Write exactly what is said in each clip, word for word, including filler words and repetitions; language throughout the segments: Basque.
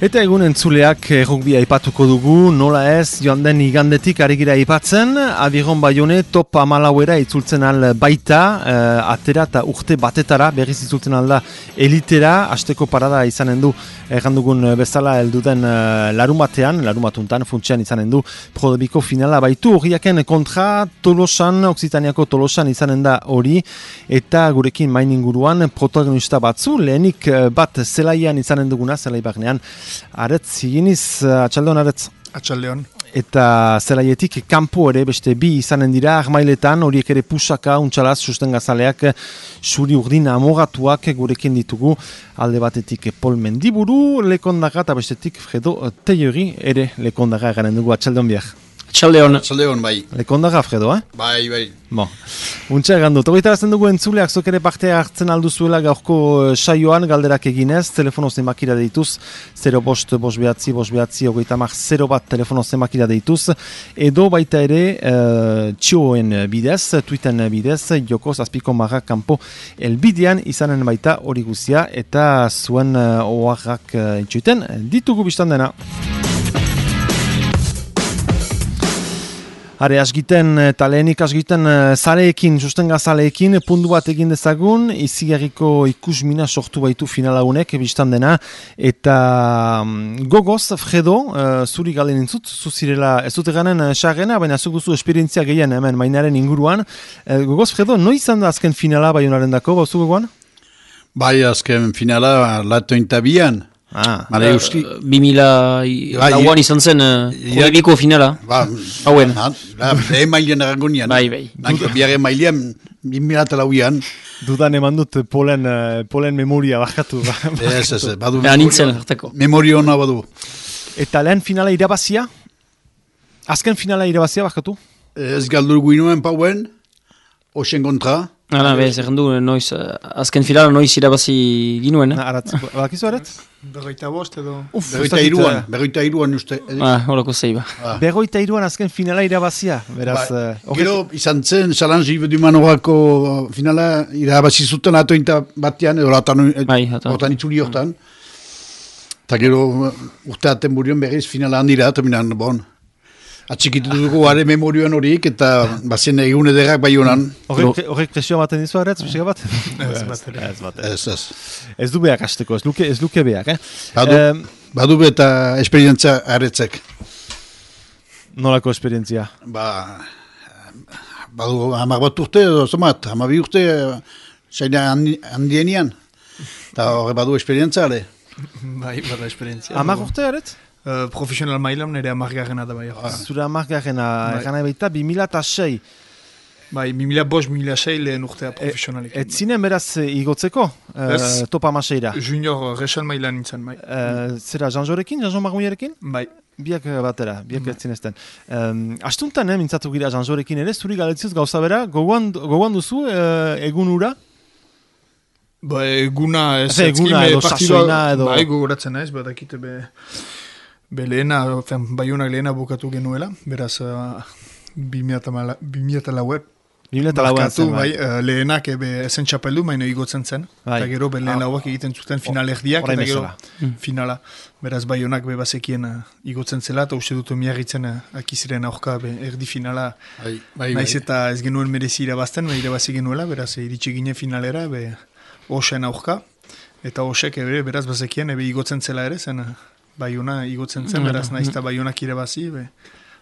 Eta egun entzuleak errugbia aipatuko dugu, nola ez, joan den igandetik ari gira aipatzen, Abiron Baione top amalauera itzultzen al baita, uh, atera eta urte batetara, berriz itzultzen alda elitera, hasteko parada izanen du, errandugun bezala helduden uh, larun batean, larun batuntan, funtsian izanen du, Prodebiko finala baitu, horiaken kontra Tolosan, Oksitaniako Tolosan izanen da hori, eta gurekin main inguruan protagonista batzu, lehenik bat zelaian izanen duguna, zelai barnean, Aretz, higiniz, atxaldeon aretz. Atxaldeon. Eta zelaietik kanpo ere beste bi izanen dira, armailetan, horiek ere pusaka, untxalaz, susten gazaleak, suri urdin amogatuak gurekin ditugu, alde batetik Pol Mendiburu, lekondaga, eta bestetik Fredo Teiori, ere lekondaga garen dugu, atxaldeon biak. Atxaldeon. Atxaldeon, bai. Lekondaga, Fredo, eh? Bai, bai. Bo, untxa egan dut. Hogeitarazten dugu entzuleak, zok ere parte hartzen alduzuela gaurko saioan, galderak eginez, telefono zenbakira deituz, zero bost, bost behatzi, bost behatzi, hogeita mar, zero bat telefono zenbakira deituz, edo baita ere uh, txioen bidez, tweeten bidez, joko zazpiko marra kanpo elbidean izanen baita hori guzia, eta zuen uh, oharrak uh, entzuiten, ditugu biztan dena. Hare, asgiten, eta lehenik asgiten zaleekin, sustenga zaleekin, puntu bat egin dezagun, izigarriko ikusmina sortu baitu finalaunek, biztan dena, eta gogoz, Fredo, uh, zuri galen intzut, zuzirela, ez dut eganen sarrena, baina zuk duzu esperientzia gehien hemen mainaren inguruan. Uh, gogoz, Fredo, noi izan da azken finala Baionaren dako, bauzu gogoan? Bai, azken finala latointabian. Ah, uh, bimila lauan izan zen Prodebiko uh, finala. Ba, hauen. Lehen mailean erangonian. Bai, bai. Biaren mailean, bimila lauian. Dudan eman dut polen, polen memoria bakatu. Ez, ez, badu. Nintzen, hartako. Memoria hona badu. Eta lehen finala irabazia? Azken finala irabazia bakatu? Ez galdur guinuen pauen, osen kontra. Hala, bez, errandu, noiz, azken finala noiz irabazi ginuen. Eh? Aratz, badakizu aretz? Berroita bost edo... Uf, berroita iruan, berroita iruan uste. Ah, horako zeiba. Ah. Berroita iruan azken finala irabazia, beraz... Ba, uh, gero, izan zen, Salangi Beduman horako finala irabazi zuten atointa batean, edo hortan itzuli hortan. Eta gero, urte aten burion berriz finala handira, terminan, bon... Atxikitu dugu gare memorioan horiek eta bazen egun ederrak bai honan. Horrek presioa baten dizu aretz, pixika bat? Ez bat. Ez, ez. Ez du behak hasteko, ez luke, ez luke behak, eh? Badu, um, badu be eta esperientzia aretzek. Nolako esperientzia? Ba, badu hamar bat urte, zomat, hamar bi urte, zaina handienian. Eta horre badu esperientzia, ale? Bai, bada esperientzia. Hamar urte aretz? Uh, profesional mailam nire amargarrena da bai. Ah. Zura amargarrena, egana baita, bimila eta sei. Bai, bimila bost, bimila sei lehen urtea profesionalik. Et zinen beraz igotzeko, uh, topa maseira? Junior resan mailan nintzen, bai. Uh, zera, Janjorekin, Janjo Marmuiarekin? Bai. Biak batera, biak bai. Etzinezten. Um, astuntan, eh, mintzatu gira Janjorekin ere, zuri galetzioz gauza bera, gogoan, gogoan duzu uh, egun ura? Ba, eguna ez... Eze, eguna edo sasoina edo... Bai, gogoratzen naiz, bat akite be... Be lehena, Baionak lehena bukatu genuela, beraz, uh, bimila eta lauet. Bimila eta lauet zen, bai. Uh, lehenak ebe esen txapeldu, maino igotzen zen. Bai. Eta gero, be lehen lauak egiten zuten final erdiak, eta gero mm. finala. Beraz, Baionak be bazekien uh, igotzen zela, eta uste dutu miarritzen uh, akiziren aurka be erdi finala. Bai, bai, naiz bai. eta ez genuen merezi irabazten, be irabazi genuela, beraz, iritsi gine finalera, be Osen aurka. Eta Osek ebe, beraz, bazekien, ebe igotzen zela ere, zen... Uh, Baiona igotzen zen, beraz naiz eta Baionak irabazi, be,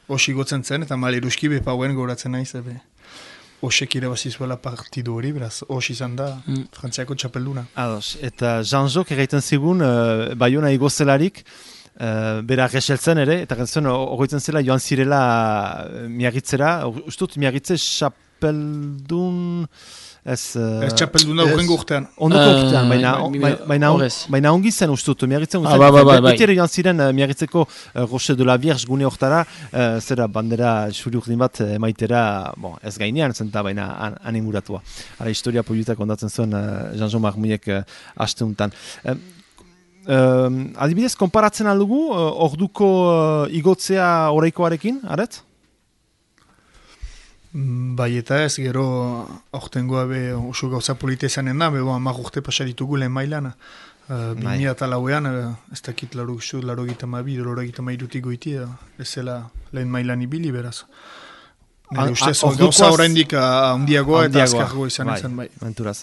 os igotzen zen, eta maleruski be pauen goratzen naiz, be, osek irabazi zuela partidu hori, beraz, os izan da mm. Frantziako txapelduna. Ados, eta Janjok egiten zigun, uh, Baiona igozelarik, uh, bera reseltzen ere, eta gantzen horretzen zela joan zirela uh, miagitzera, ustut miagitze txapeldun... Ez, uh, ez txapelduna urrengo urtean. Ondoko urtean, baina, uh, baina, baina, baina ongi zen ustut, miagitzen guztien. Ah, ba, ba, ba, Beti ere joan ziren uh, miagitzeko uh, Roche de la Vierge gune hortara, uh, zera bandera xuri urdin bat emaitera, bon, ez gainean zenta, baina an, animuratua. Hala, historia poliutak ondatzen zuen uh, Janjo Marmuiek uh, aste untan. Uh, uh, adibidez, konparatzen aldugu, uh, orduko uh, igotzea oraikoarekin, aret? Bai eta ez, gero aurtengoa be oso gauza polita izanen da, bebo amak urte pasaditugu lehen mailana. Uh, Bimia eta lauean, uh, ez dakit laro gizu, laro gita mabi, laro gita mairutik goiti, uh, ez zela lehen mailan ibili, beraz. Nire ustez, gauza horrendik handiagoa eta azkargoa izan bai, izan bai. Menturaz.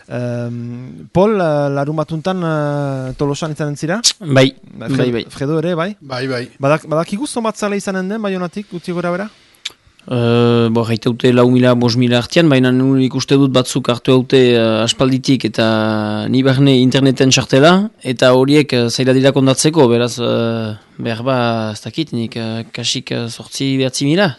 Um, Pol, uh, larun batuntan uh, Tolosan izan entzira? Bai, Fred, bai, bai. Fredo ere, bai? Bai, bai. Badak, badakik zomatzale izanen den, Baionatik, utzi gora bera? Uh, bo, gaita dute lau mila, bos mila artian, baina ikuste dut batzuk hartu haute uh, aspalditik eta ni barne interneten txartela, eta horiek uh, zaila dira kondatzeko, beraz, uh, behar ba, ez dakit, nik uh, kasik uh, sortzi behatzi mila.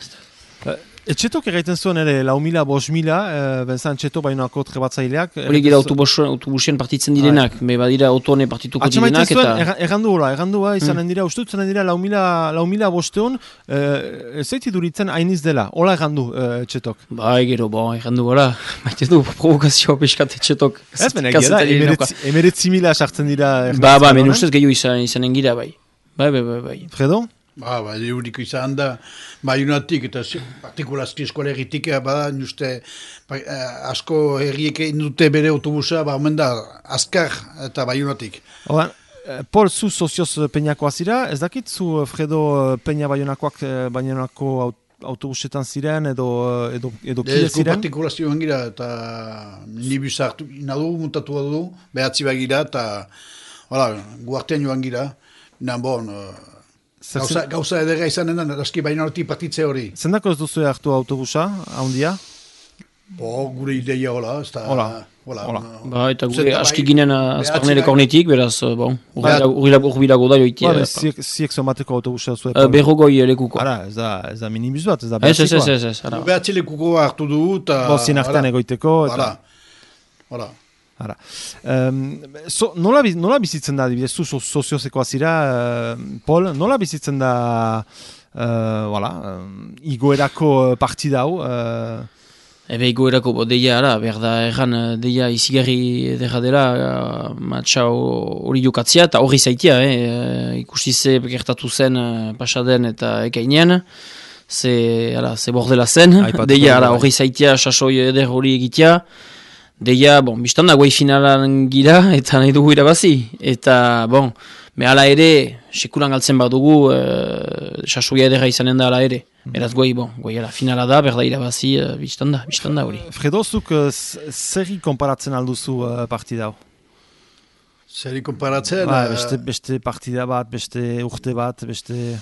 Etxetok egiten zuen ere, lau mila, bos mila, e, benzan etxeto bainoako trebatzaileak. Hori gira autobusien partitzen direnak, be badira autone partituko direnak. Eta... Errandu hola, errandu ba, izanen dira, uste dut zanen dira lau mila bosteon, ez zaiti duritzen hainiz dela, hola errandu etxetok. Ba, gero, bo, errandu hola, maite du provokazioa peskat etxetok. Ez, bena gira, emeretzi mila sartzen dira. Ba, ba, men ustez gehiago izanen gira, bai. Bai, bai, bai, bai. Fredo? Ba, ba, euriko izan da, Baionatik eta partikulazki eskolegitik, bada, juste, ba, asko herriek indute bere autobusa, ba, omen da, azkar eta Baionatik. Oan, Pol, zu sozioz peñakoa zira, ez dakit zu Fredo peña Baionakoak Baionako autobusetan ziren edo edo edo kide ziren? Ezko partikulazioan gira eta nibus hartu, inadu, muntatu du, behatzi bagira eta, hola, guartean joan gira, nan bon, Gauza, gauza edera izanen da, aski Baionatik partitze hori. Zendako ez duzu hartu autobusa, haundia? Bo, gure ideia hola, ez da... Hola. Hola. Hola. Ba, eta gure aski ginen azparnele kornetik, beraz, bon, urbilago da joitia. Ba, ziek zomateko autobusa zuen? Berrogoi lekuko. Ara, ez da, ez da minibus bat, ez da behatzikoa. Ez, ez, ez, ez. Behatzi lekuko hartu du, eta... Bo, zin artean egoiteko, eta... Hola. Ara. Um, so, nola, nola bizitzen da, dibidez, zu soziozekoa zira, uh, Pol, nola bizitzen da uh, voilà, um, igoerako partida hau? Uh... Ebe igoerako bo, deia, ara, berda erran, deia izigarri edera dela, uh, matxa hori jokatzia, eta hori zaitia, eh? uh, ikusi ze gertatu zen uh, pasaden eta ekainean, ze, ara, ze bordela zen, deia, ara, hori zaitia, sasoi eder hori egitea, deia, bon, biztan da guai finalan gira, eta nahi dugu irabazi. Eta, bon, me ala ere, sekulan galtzen bat dugu, e, sasoia edera izanen da ala ere. Beraz guai, bon, guai ala finala da, berda irabazi, e, biztan da, biztan da hori. Fredozuk, zerri konparatzen alduzu uh, partida hau? Zerri konparatzen? Ba, beste, beste partida bat, beste urte bat, beste...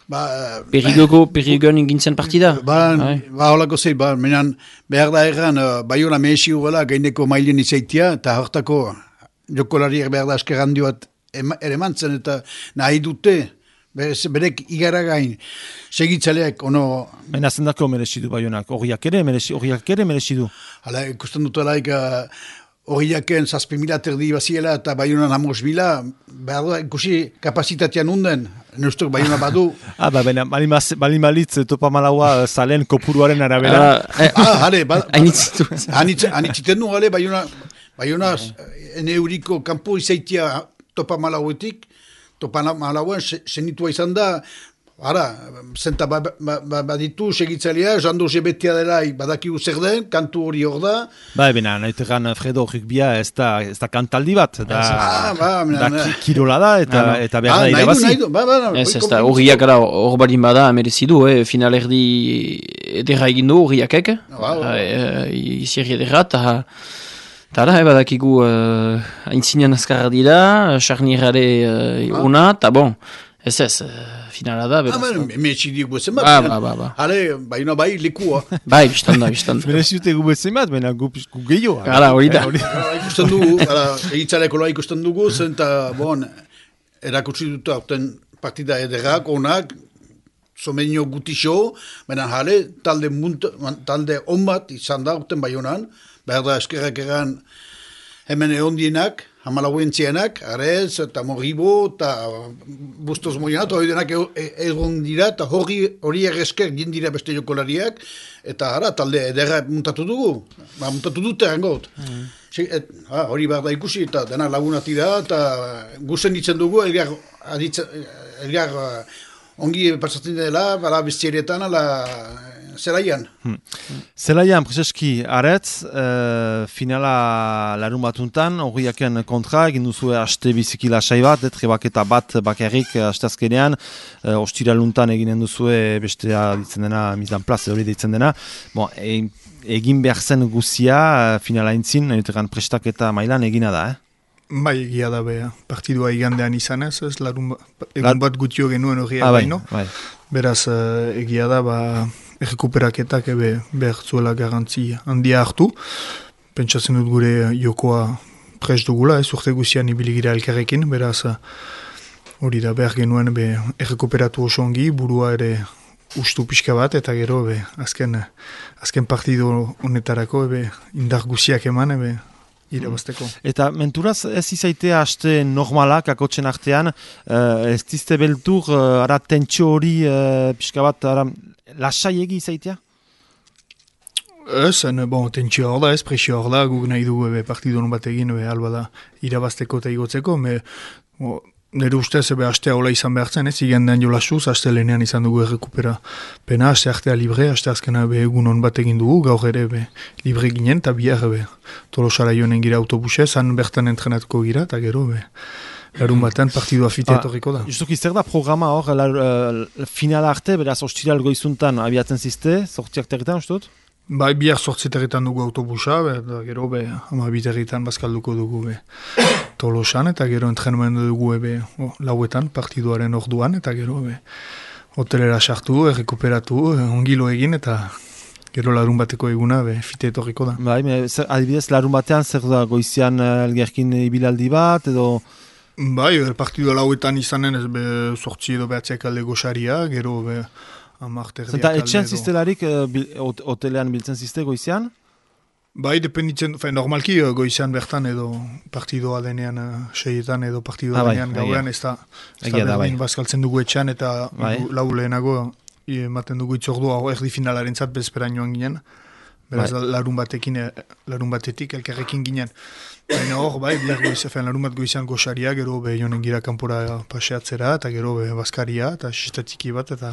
Ba, Perigoko, perigon ingintzen partida? Ba, ba holako zei, ba, menan, behar da erran, uh, Baiola mehesi ugela, gaineko mailen izaitia, eta hortako jokolariak behar da asker handi bat ere mantzen, eta nahi dute, berek igara gain, segitzaleak, ono... Baina zendako merezidu Baionak, horiak ere merezidu? Hala, ikusten dut alaik, horiaken zazpi mila terdi baziela eta Baionan amos bila, behar da, ikusi kapazitatean unden, neustok Baiona badu. Ah, ba, baina, balin balitz, topa malaua zalen kopuruaren arabera. Ah, hale, anitziten du, hale, Baiona, Baiona, ene euriko kampo izaitia topa malauetik, topa malauen senitua izan da, ara, zenta baditu segitzalea, jando jebetea dela badakigu zer den, kantu hori hor da. Ba, ebena, naitegan Fredo rukbia ez da, ez da kantaldi bat, da, ah, ba, da kirola da, eta, ah, eta behar da irabazi. Nahidu, ba, ba, ez, ez da, horiak ara hor barin bada merezidu, eh, final erdi edera egindu horiakek, izierri edera, eta Tara, eba dakigu uh, aintzinean azkarra dira, charnierare uh, una, eta bon, ez ez, uh, finala da, beraz. Ah, me etxidik guezen bat. Ba, ba, ba, ba. Hale, Baiona bai, lekua. Bai, biztanda, biztanda. Mereziute gu bezen bat, baina gu gehiago. Hala, hori da. Ikusten dugu, egitzaleko loa ikusten dugu, zen eta, bon, erakutsi dut aurten partida ederrak, onak, somenio gutixo, baina hale, talde, talde on bat izan da aurten Baionan, behar da eskerrak egan hemen ehondienak, hamalauentzianak, Arez, eta Morribo, eta Bustos Moianat, hori denak egon dira, eta hori esker dira beste jokolariak, eta ara, talde ederra muntatu dugu, ba, muntatu dute hangot. Mm. Ha, hori behar da ikusi, eta denak lagunati da, eta guzen ditzen dugu, elgar, aditza, elgar ongi pasatzen dela, bala bestierietan, ala zelaian. Hmm. Zelaian, Prezeski, aretz, uh, finala larun batuntan, horiaken kontra, egin duzue haste biziki lasai bat, trebaketa bat bakarrik hasteazkenean, uh, ostiraluntan eginen duzue bestea ditzen dena, mizan plaz, hori ditzen dena. Bon, e, egin behar zen guzia, uh, finala intzin, eteran prestaketa mailan egina da, eh? Bai, egia da beha. Partidua igandean izanez, ez larun egun bat gutio genuen horiak ah, baino. Bai. Beraz, uh, egia da, ba, errekuperaketak ebe behar zuela garantzi handia hartu. Pentsatzen dut gure jokoa prest dugula, ez urte guzian ibiligira elkarrekin, beraz, hori da behar genuen be errekuperatu oso ongi, burua ere ustu pixka bat, eta gero be, azken, azken partido honetarako ebe indar guziak eman, ebe irabazteko. Eta menturaz ez izaitea haste normalak akotxen artean, uh, ez dizte beltur, uh, ara tentsio hori uh, pixka bat, ara lasai egi izaitea? Ez, bon, tentsio hor da, ez, presio hor da, guk nahi dugu ebe partidon bat egin, ebe alba da irabazteko eta igotzeko, me, o, nire ustez ebe hastea hola izan behar zen, ez, igandean jolasuz, haste lehenean izan dugu errekupera pena, haste artea libre, haste azkena ebe egun hon bat egin dugu, gaur ere ebe libre ginen, eta bihar ebe Tolosara joanen gira autobusez, han bertan entrenatuko gira, eta gero ebe larun batean partidua fitea etorriko da. Justuki, zer da programa hor, la, uh, finala arte, beraz ostiral goizuntan abiatzen zizte, sortziak territan, ustut? Bai, bihar sortziterritan dugu autobusa, eta gero be, ama biterritan bazkalduko dugu be, Tolosan, eta gero entrenumendu dugu ebe oh, lauetan, partiduaren orduan, eta gero be, hotelera sartu, errekuperatu, ongilo egin, eta gero larun bateko eguna be, fite etorriko da. Bai, me, zer, adibidez, larun batean zer da goizian elgerkin ibilaldi bat, edo... Bai, partidua lauetan izanen ez be, sortzi edo behatziak alde goxaria, gero be, Zenta etxean ziztelarik uh, bil, hotelean biltzen zizte goizian? Bai, dependitzen, fe, normalki uh, goizian bertan edo partidoa denean uh, seietan edo partidoa ah, denean bai, gauean ez da, ez da berdin bai. Bazkaltzen dugu etxean eta bai. Lau lehenago ematen dugu itzordua erdi finalaren zat bezperan joan ginen. Beraz, bai. larun batekin, larun batetik elkarrekin ginen. Baina hor, bai, bihar goizean, larun bat goizean goxaria, gero be joanen gira kanpora paseatzera, eta gero be bazkaria, eta sistatiki bat, eta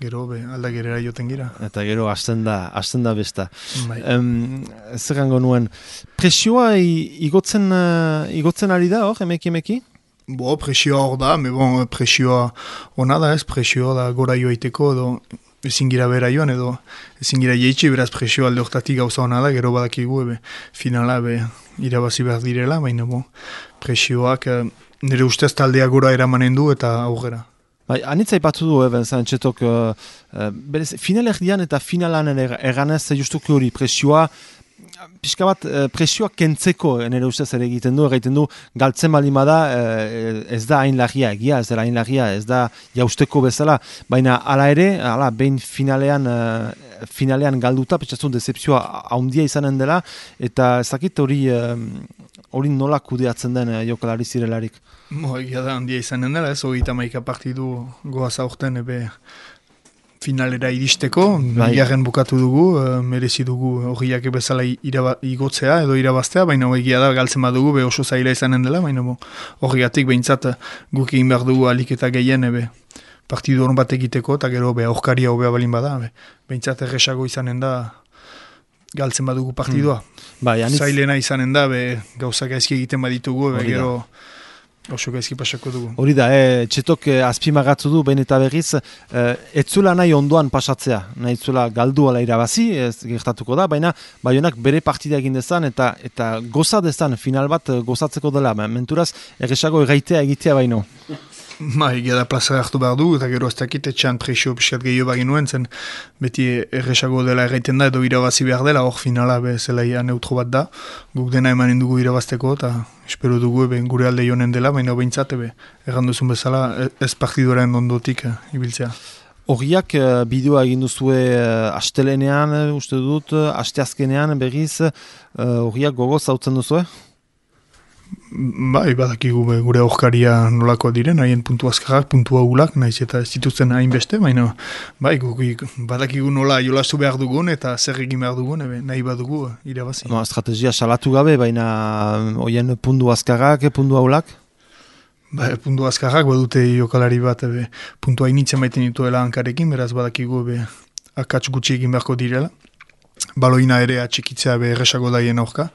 gero be aldagerera joten gira. Eta gero hasten da, hasten da besta. Bai. Um, zer gango nuen, presioa igotzen, uh, igotzen ari da hor, emeki emeki? Bo, presioa hor da, me bon, presioa ona da ez, presioa da gora joaiteko, edo ezin gira bera joan, edo ezin gira jeitxe, beraz presioa alde hortatik gauza hona da, gero badakigu, ebe, finala, ebe, irabazi behar direla, baina bo, presioak eh, nire ustez taldea gora eramanen du eta aurrera. Bai, anitza ipatu du, eben, zan txetok, uh, uh, berez, final erdian eta finalan eganez justuki hori presioa, pixka bat presioa kentzeko nire ustez ere egiten du, egiten du galtzen balima da, ez da hain lagia, egia ez da hain lagia, ez da jausteko bezala, baina ala ere, ala, behin finalean, finalean galduta, petxatzun decepzioa haundia izanen dela, eta ezakit hori hori nola kudeatzen den jokalari zirelarik. Mo, egia da handia izanen dela, ez hori eta maika partidu goaz aurten ebe finalera iristeko, bigarren bukatu dugu, uh, merezi dugu horiak bezala iraba, igotzea edo irabaztea, baina egia da galtzen badugu, be oso zaila izanen dela, baina horiatik behintzat guk egin behar dugu alik eta gehien ebe partidu hon bat egiteko, eta gero be aurkaria hobea balin bada, be, behintzat erresago izanen da galtzen badugu partidua. Hmm. Bai, anitz... Zailena izanen da, be gauzak gaizki egiten baditugu, be gero... Oso gaizki pasako dugu. Hori da, eh, txetok eh, azpimagatzu du, behin eta berriz, eh, etzula nahi ondoan pasatzea, nahi etzula galdu ala irabazi, ez gertatuko da, baina Baionak bere partida egin dezan, eta eta goza dezan, final bat gozatzeko dela, menturaz, erresago erraitea egitea baino. Ma, egia da plaza hartu behar du, eta gero ez dakit etxean presio piskat gehiago bagin nuen, zen beti erresago dela erraiten da, edo irabazi behar dela, hor finala be zelaia neutro bat da, guk dena emanen dugu irabazteko, eta espero dugu ebe gure alde jonen dela, baina behintzat ebe erranduzun bezala ez partiduaren ondotik uh, ibiltzea. Horiak uh, bideoa egin duzue uh, astelenean, uh, uste dut, uh, asteazkenean berriz, horiak uh, gogoz hautzen duzue? Bai, badakigu gure aurkaria nolako diren, haien puntu azkarrak, puntu agulak, nahiz eta ez dituzten hainbeste, baina bai, badakigu nola jolastu behar dugun eta zer egin behar dugun, ebe, nahi badugu irabazi. No, estrategia salatu gabe, baina hoien puntu azkarrak, puntu agulak? Bai, puntu azkarrak badute jokalari bat, ebe, puntu hainitzen maiten dituela hankarekin, beraz badakigu ebe, akats gutxi egin beharko direla. Baloina ere atxikitzea be erresago daien aurka.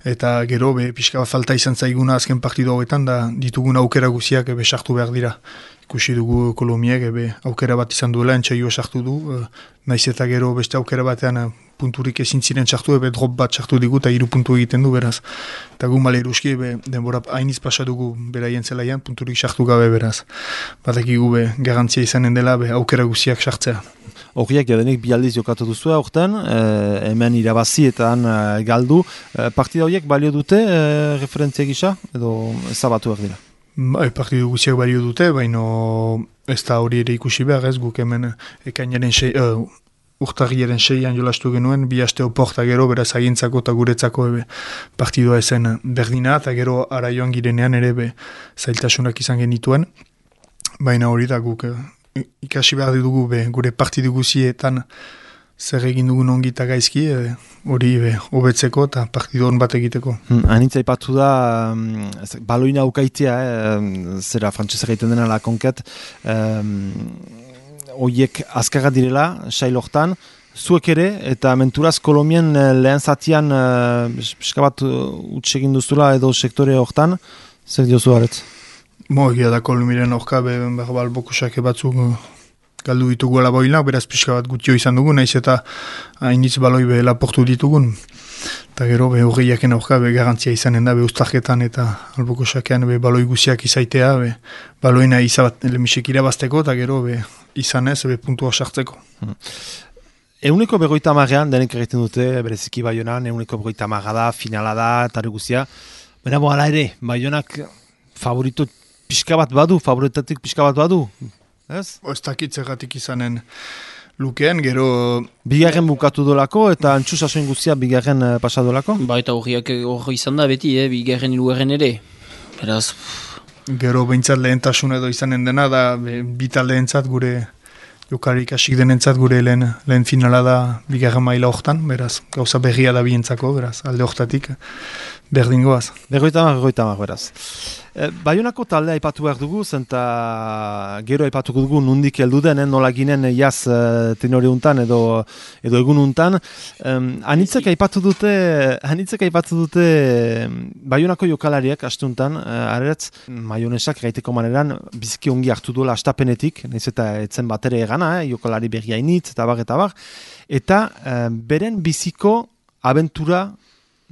Eta gero, be, pixka bat falta izan zaiguna azken partidu hauetan, da ditugun aukera guziak ebe sartu behar dira. Ikusi dugu Kolomiek ebe aukera bat izan duela, entxaioa sartu du, e, naiz eta gero beste aukera batean e, punturik ezin ziren sartu, ebe drop bat sartu digu eta hiru puntu egiten du, beraz. Eta gu male eruski, ebe denbora hainiz pasa dugu beraien zelaian, punturik sartu gabe, beraz. Batekigu be garantzia izanen dela, be aukera guziak sartzea. Horiak jadenik bi aldiz jokatu duzu aurten, eh, hemen irabazi eta han eh, galdu. Eh, partida horiek balio dute eh, referentzia gisa, edo ezabatu behar dira? Bai, partidu guziak balio dute, baina ez da hori ere ikusi behar ez, guk hemen ekainaren sei, uh, urtarriaren seian jolastu genuen, bi aste oporta gero, beraz agintzako eta guretzako ebe partidua ezen berdina, eta gero ara joan girenean ere be zailtasunak izan genituen, baina hori da guk ikasi behar dugu be, gure partidu guzietan zer egin dugun ongi eta gaizki, hori e, hobetzeko eta partidu hon bat egiteko. Hmm, Anitza ipatu da, um, baloina ukaitea, eh, zera frantzesa egiten dena la konket, horiek um, azkarra direla, sailortan, zuek ere, eta menturaz Kolomien lehen zatian pixka bat utxegin duzula edo sektore hortan, zer diozu haretz? Mo, egia da Kolomiren horka, berbal bokusake batzuk galdu ditugu alaboinak, beraz pixka bat gutio izan dugu, naiz eta hainitz baloi be laportu ditugun. Eta gero, be horreiaken horka, be garantzia izanen da, be ustarketan eta albokosakean be baloi guziak izaitea, be baloina izabat lemisek irabazteko, eta gero, be izanez, be puntua sartzeko. Hmm. Euneko berroita marrean, denek egiten dute, bereziki Baionan, euneko berroita marra da, finala da, eta guzia. Baina bo, ala ere, Baionak favorito pixka bat badu, favoritatik pixka bat badu, ez? Ez dakit zergatik izanen lukeen, gero... Bigarren bukatu dolako eta antxu sasoin guztia bigarren uh, pasadolako? Ba, eta horiak hori izan da beti, eh? Bigarren hirugarren ere. Beraz... Gero behintzat lehentasun edo izanen dena, da bitaldeentzat gure... Jokarik asik denentzat gure lehen, lehen finala da bigarren maila hortan, beraz, gauza berria da bientzako, beraz, alde hortatik berdingoaz. Berroita mar, berroita mar, beraz. E, Baionako talde aipatu behar dugu, zenta gero aipatuko dugu nundik heldu den, eh, nola ginen jaz uh, tenore untan edo, edo egun untan. Um, anitzek aipatu dute, anitzek aipatu dute Baionako jokalariak astuntan, uh, aretz, maionesak gaiteko maneran biziki ongi hartu duela astapenetik, nahiz eta etzen batere egana, eh, jokalari berria initz, eta bar, eta bar, eta uh, beren biziko abentura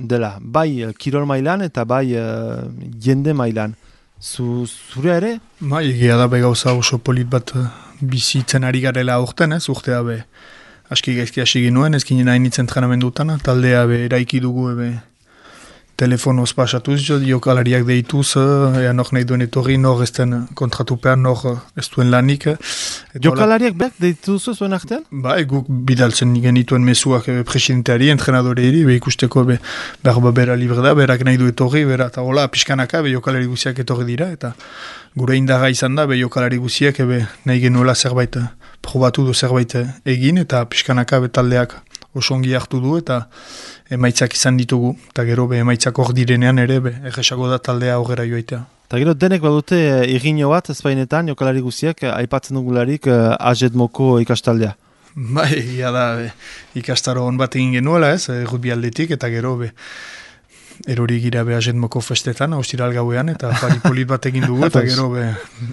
dela, bai kirol mailan eta bai uh, jende mailan. Zu, zure ere? Bai, egia da begauza oso polit bat uh, bizitzen ari garela aurten, ez, urtea be aski gaizki hasi ginuen, ez ginen hain itzen entrenamendutan, taldea be eraiki dugu ebe telefonoz pasatuz, jokalariak deituz, ea nor nahi duen etorri, nor ez den kontratupean, nor ez duen lanik. Jokalariak behar deituzu zuen artean? Ba, guk bidaltzen genituen mesuak presidenteari, entrenadoreari, be ikusteko be, behar bera libre da, berak nahi du etorri, bera, eta hola, pixkanaka, be jokalari guziak etorri dira, eta gure indaga izan da, be jokalari guziak, be nahi genuela zerbait, probatu du zerbait egin, eta pixkanaka be taldeak oso ongi hartu du, eta emaitzak izan ditugu, eta gero be emaitzak hor direnean ere, be erresago da taldea aurrera joaitea. Eta gero denek badute irriño bat, ezpainetan, jokalari guziak, aipatzen dugularik uh, Ajedmoko ikastaldea. Bai, egia da, be, ikastaro hon bat egin genuela ez, rugby aldetik, eta gero be, erori gira be Ajedmoko festetan, austiral gauean, eta paripolit bat egin dugu, eta gero be,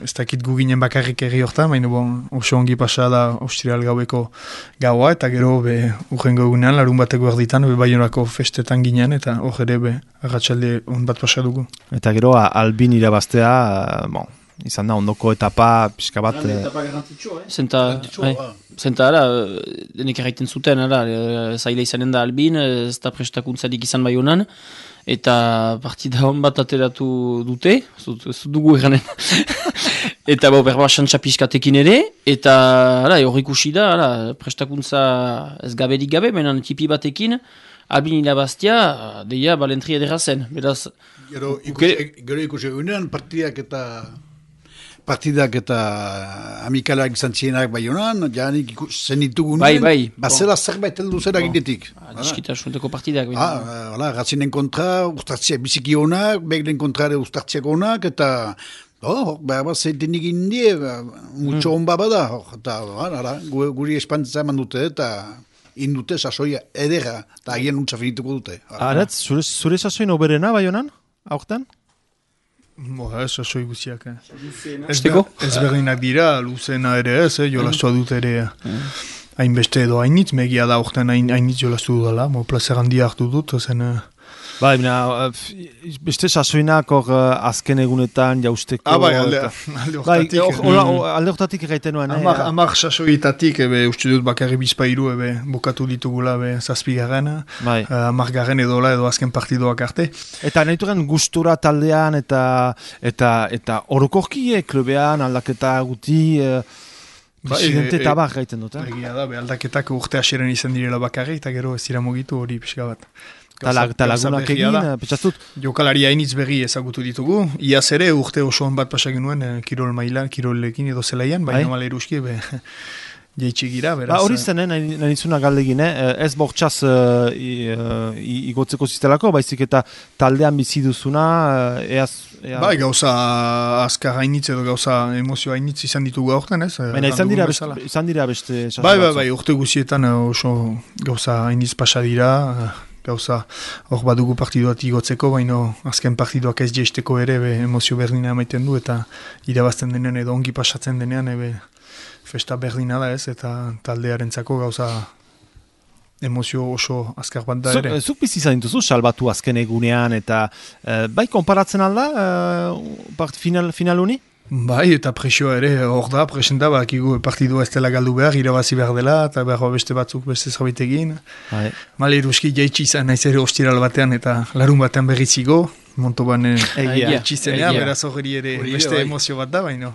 ez dakit gu ginen bakarrik erri hortan, baina bon, oso ongi pasa da austiral gaueko gaua, eta gero be, urrengo egunean, larun bateko erditan, be Baionako festetan ginen, eta hor ere be, arratsalde on bat pasa dugu. Eta gero, Albin irabaztea, bon, izan da, ondoko etapa, pixka bat... Etapa garrantzitsua, eh? Zenta, hai, zenta, ara, denek erraiten zuten, ara, zaila izanen da Albin, ez da prestakuntzarik izan Baionan, eta partida hon bat ateratu dute, ez dugu eranen. Eta bo, berba xantxapiskatekin ere, eta hor ikusi da, ara, prestakuntza ez gaberik gabe, menan tipi batekin, Albin irabaztia, deia, balentri edera zen. Beraz, gero ikusi egunean partidak eta... partidak eta amikalak izan zienak Baionan, janik zenitu gunen, bai, bai. Bazela bon. Zerbait heldu zera ginetik. Diskita sunteko partidak. Ah, gatzinen kontra, ustartziak biziki honak, beglen kontrare ustartziak honak, eta Oh, behar bat zeitenik indie, mutxo hon bada, eta ara, guri espantza eman dute, eta indute sasoia edera, eta agien nuntza finituko dute. Aretz, zure, zure sasoin oberena, bai honan, aurten? Boa, ez sasoi guziak. Eh. Ez, ez berdinak dira, luzena ere ez, eh, jolastu dut ere. Hainbeste edo hainitz, megia da aurten hainitz jolastu dudala, mo plazer handia hartu dut, zen... Ba, bina, beste sasoinak hor azken egunetan jausteko... Ah, bai, alde, alde hortatik. Bai, alde hortatik egiten nuen. Amak, eh, amak sasoitatik, ebe, uste dut bakarri bizpairu, ebe, bokatu ditugula, ebe, zazpigarren, bai. uh, amak garren edola, edo azken partidoak arte. Eta nahi duren gustura taldean, eta eta eta orokorkie, klubean, aldaketa guti... Uh, Presidente eta bak gaiten dut, eh? Egia da, be, aldaketak urte asiren izan direla bakarri, eta gero ez dira mugitu hori pixka bat. Eta lagunak egin, petxastut? Jokalari hainitz berri ezagutu ditugu. Iaz ere urte osoan bat pasak nuen, kirol mailan, kirolekin edo zelaian, baina bai? Mala eruski, be, jeitsi gira, beraz. Ba, hori zen, eh, nahi nizuna galdegin, eh? Ez bortxaz uh, igotzeko ziztelako, baizik eta taldean bizi duzuna, uh, eaz... Ea... Bai, gauza azkar hainitz edo gauza emozio hainitz izan ditugu aurten, ez? Baina izan dira, beste, izan dira beste... Bai, bai, bai, urte guzietan oso gauza hainitz pasa dira, gauza hor badugu partiduat igotzeko, baina azken partiduak ez jeisteko ere be, emozio berdina emaiten du, eta irabazten denean edo ongi pasatzen denean, ebe, festa berdina da ez, eta taldearentzako gauza emozio oso azkar bat da ere. Zuk bizi izan dituzu, salbatu azken egunean, eta uh, bai, konparatzen alda uh, final, final honi? Bai, eta presioa ere hor da, presenta, bakigu partidua ez dela galdu behar, irabazi behar dela, eta behar beste batzuk beste zerbait egin. Bai. Male eruski jaitsi izan naiz ere ostiral batean, eta larun batean berrizigo, Montoban jaitsi zenean, beraz hori ere beste bai. Emozio bat da, baina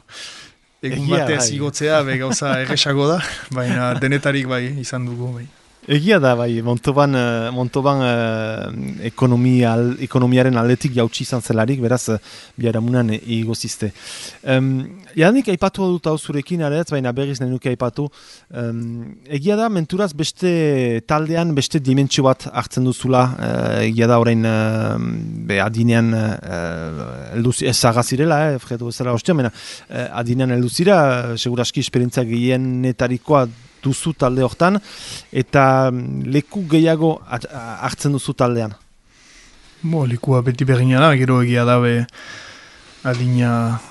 egun batez igotzea, be gauza erresago da, baina denetarik bai izan dugu, bai. Egia da, bai, Montoban, Montoban uh, ekonomia, ekonomiaren aldetik jautsi izan zelarik, beraz, biharamunan igozizte. Um, Janik, aipatu dut hau zurekin, aretz, baina berriz nahi nuke aipatu. Um, egia da, menturaz beste taldean, beste dimentsio bat hartzen duzula, uh, egia da, orain, uh, be, adinean, uh, elduz, ez zagazirela, eh, fredo bezala hostia, baina, uh, adinean elduzira, seguraski esperientzia gehienetarikoa duzu talde hortan, eta leku gehiago hartzen duzu taldean? Bo, lekua beti bergina da, gero egia da, be, adina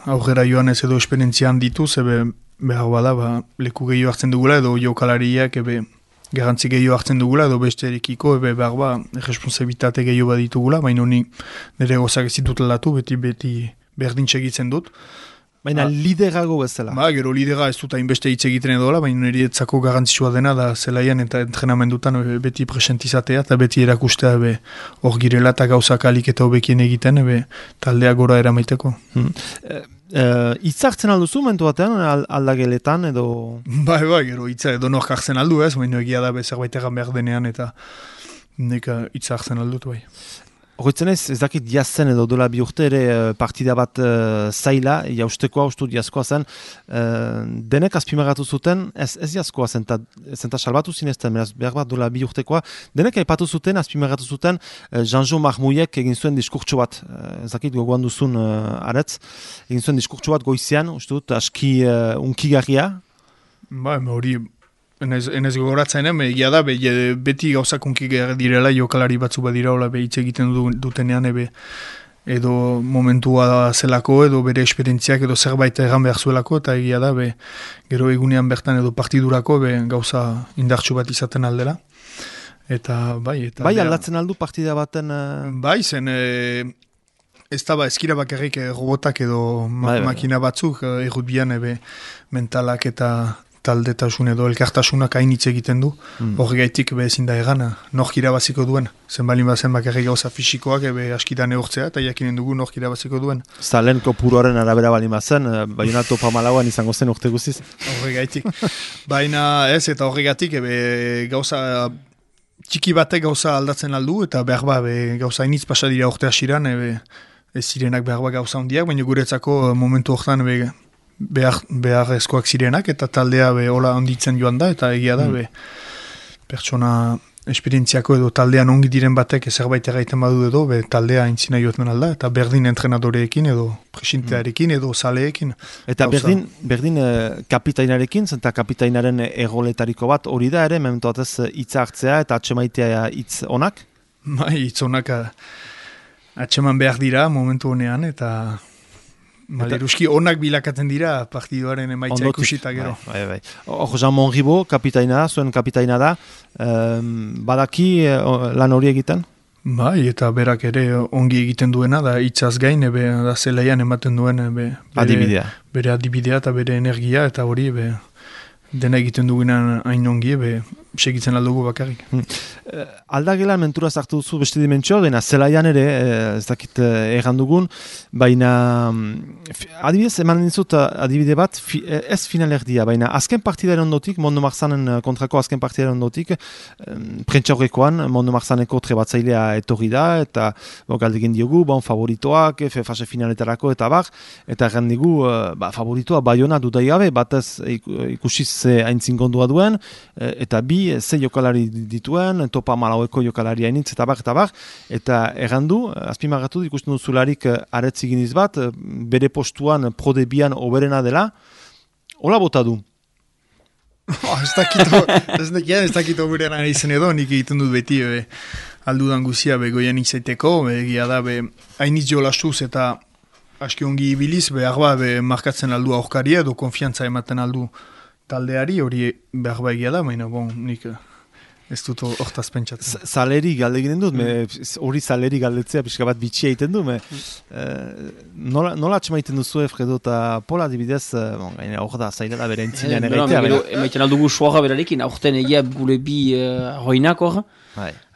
aurrera joan ez edo esperientzian ditu, zebe behar bada, ba, leku gehiago hartzen dugula, edo jokalariak, ebe, garrantzi gehiago hartzen dugula, edo beste erekiko, ebe behar ba, responsabilitate gehiago bat ditugula, baina honi nire gozak ez ditut aldatu, beti beti berdin segitzen dut. Baina ah. liderago bezala. Ba, gero lidera ez dut hainbeste hitz egiten edola, baina nire etzako garantzitsua dena da zelaian eta entrenamendutan beti presentizatea eta beti erakustea be hor girela eta gauzak alik eta hobekien egiten be taldea gora eramaiteko. Hmm. E, e, itzartzen alduzu mentu batean aldageletan edo... Bai, bai, gero itza edo nork hartzen aldu ez, baina egia da be zerbait egan behar denean eta neka itzartzen aldut bai. Horretzen ez, ez dakit jazen edo dola bi urte ere partida bat uh, zaila, jaustekoa, ustu jazkoa zen, uh, denek azpimagatu zuten, ez, ez jazkoa zen, eta salbatu zinezten, beraz, behar bat dola bi urtekoa, denek aipatu zuten, azpimagatu zuten, uh, Jean-Jo Marmouilek egin zuen diskurtso bat, uh, ez dakit gogoan duzun uh, aretz, egin zuen diskurtso bat goizean, uste dut, aski uh, unkigarria. Ba, hori... Enez, enez gogoratzen, eh? Egia da, be, beti gauzakunki direla jokalari batzu badira, hola, be, hitz egiten du, dutenean, ebe, edo momentua zelako, edo bere esperientziak, edo zerbait egan behar zuelako, eta egia da, be, gero egunean bertan edo partidurako, be, gauza indartsu bat izaten aldela. Eta, bai, eta... Bai, aldatzen aldu partida baten... Uh... Bai, zen... E... Ez da ba, eskira bakarrik robotak edo ma- bai, makina batzuk, errutbian, ebe, mentalak eta... taldetasun edo elkartasunak hainitz egiten du, mm. hori gaitik be ezin da egan, nork irabaziko duen. Zen balin bazen bakarrik gauza fisikoak ebe askitan eortzea, eta jakinen dugu nork irabaziko duen. Zalen kopuroaren arabera balin bazen, baina topa malauan izango zen urte guziz. Hori gaitik. Baina ez, eta hori gaitik ebe gauza txiki batek gauza aldatzen aldu, eta behar ba, be, gauza hainitz pasadira urte asiran, ebe ez zirenak behar ba gauza hondiak, baina guretzako momentu hortan ebe behar, behar eskoak zirenak, eta taldea be hola onditzen joan da, eta egia da, mm. be, pertsona esperientziako edo taldean ongi diren batek zerbait erraiten badu edo, be, taldea aintzina joaten alda, eta berdin entrenadoreekin edo presintearekin edo zaleekin. Eta Gauza. berdin, berdin uh, kapitainarekin, zenta kapitainaren egoletariko bat hori da ere, mementu batez hitza hartzea eta atxemaitea hitz onak? Bai, hitz onak atxeman behar dira momentu honean, eta... Maleruski onak bilakatzen dira partiduaren emaitza ikusita gero. Bai, bai, bai. Hor, Jean Monribo, kapitaina da, zuen kapitaina da, um, badaki uh, lan hori egiten? Bai, eta berak ere ongi egiten duena, da hitzaz gain, ebe, da zelaian ematen duen ebe, bere, adibidea. bere adibidea eta bere energia, eta hori ebe, dena egiten dugunan hain ongi, ebe, segitzen aldugu bakarrik. Hmm. Uh, aldagelan mentura zartu duzu beste dimentsio, dena zelaian ere, eh, ez dakit eh, erran dugun, baina adibidez, eman dizut adibide bat, fi, ez finalerdia, baina azken partidaren ondotik, Mondo Marzanen kontrako azken partidaren ondotik, um, prentxaurrekoan, Mondo Marzaneko trebatzailea etorri da, eta bo, galdegin diogu, bon, favoritoak, fase finaletarako, eta bar, eta erran digu, uh, ba, favoritoa Baiona dudai gabe, batez ikusiz haintzin gondua duen, eta bi ze jokalari dituen, topa malaueko jokalari hainitz, eta bar, eta bar, eta errandu, azpimarratu ikusten duzularik aretz iginiz bat, bere postuan prodebian oberena dela, hola bota du? Oh, ez dakito, ez dakito, ez dakito oberena izan edo, nik egiten dut beti, be, aldudan guzia, be, goian izaiteko, be, egia da, be, hainitz jolastuz, eta aski ongi ibiliz, be, arba, be, markatzen aldu aurkaria, edo konfiantza ematen aldu taldeari, hori behar egia da, baina bon, nik ez dut hortaz pentsatzen. Zaleri galdeginen dut, hori zaleri galdetzea pixka bat bitxia egiten du, me, eh, nola, nola atxemaiten duzu Fredo eta Pola dibidez, bon, gaina hor da, zaila da bere entzinean egaitea. Emaiten aldugu suaga berarekin, aurten egia gure bi uh, hoinak hor,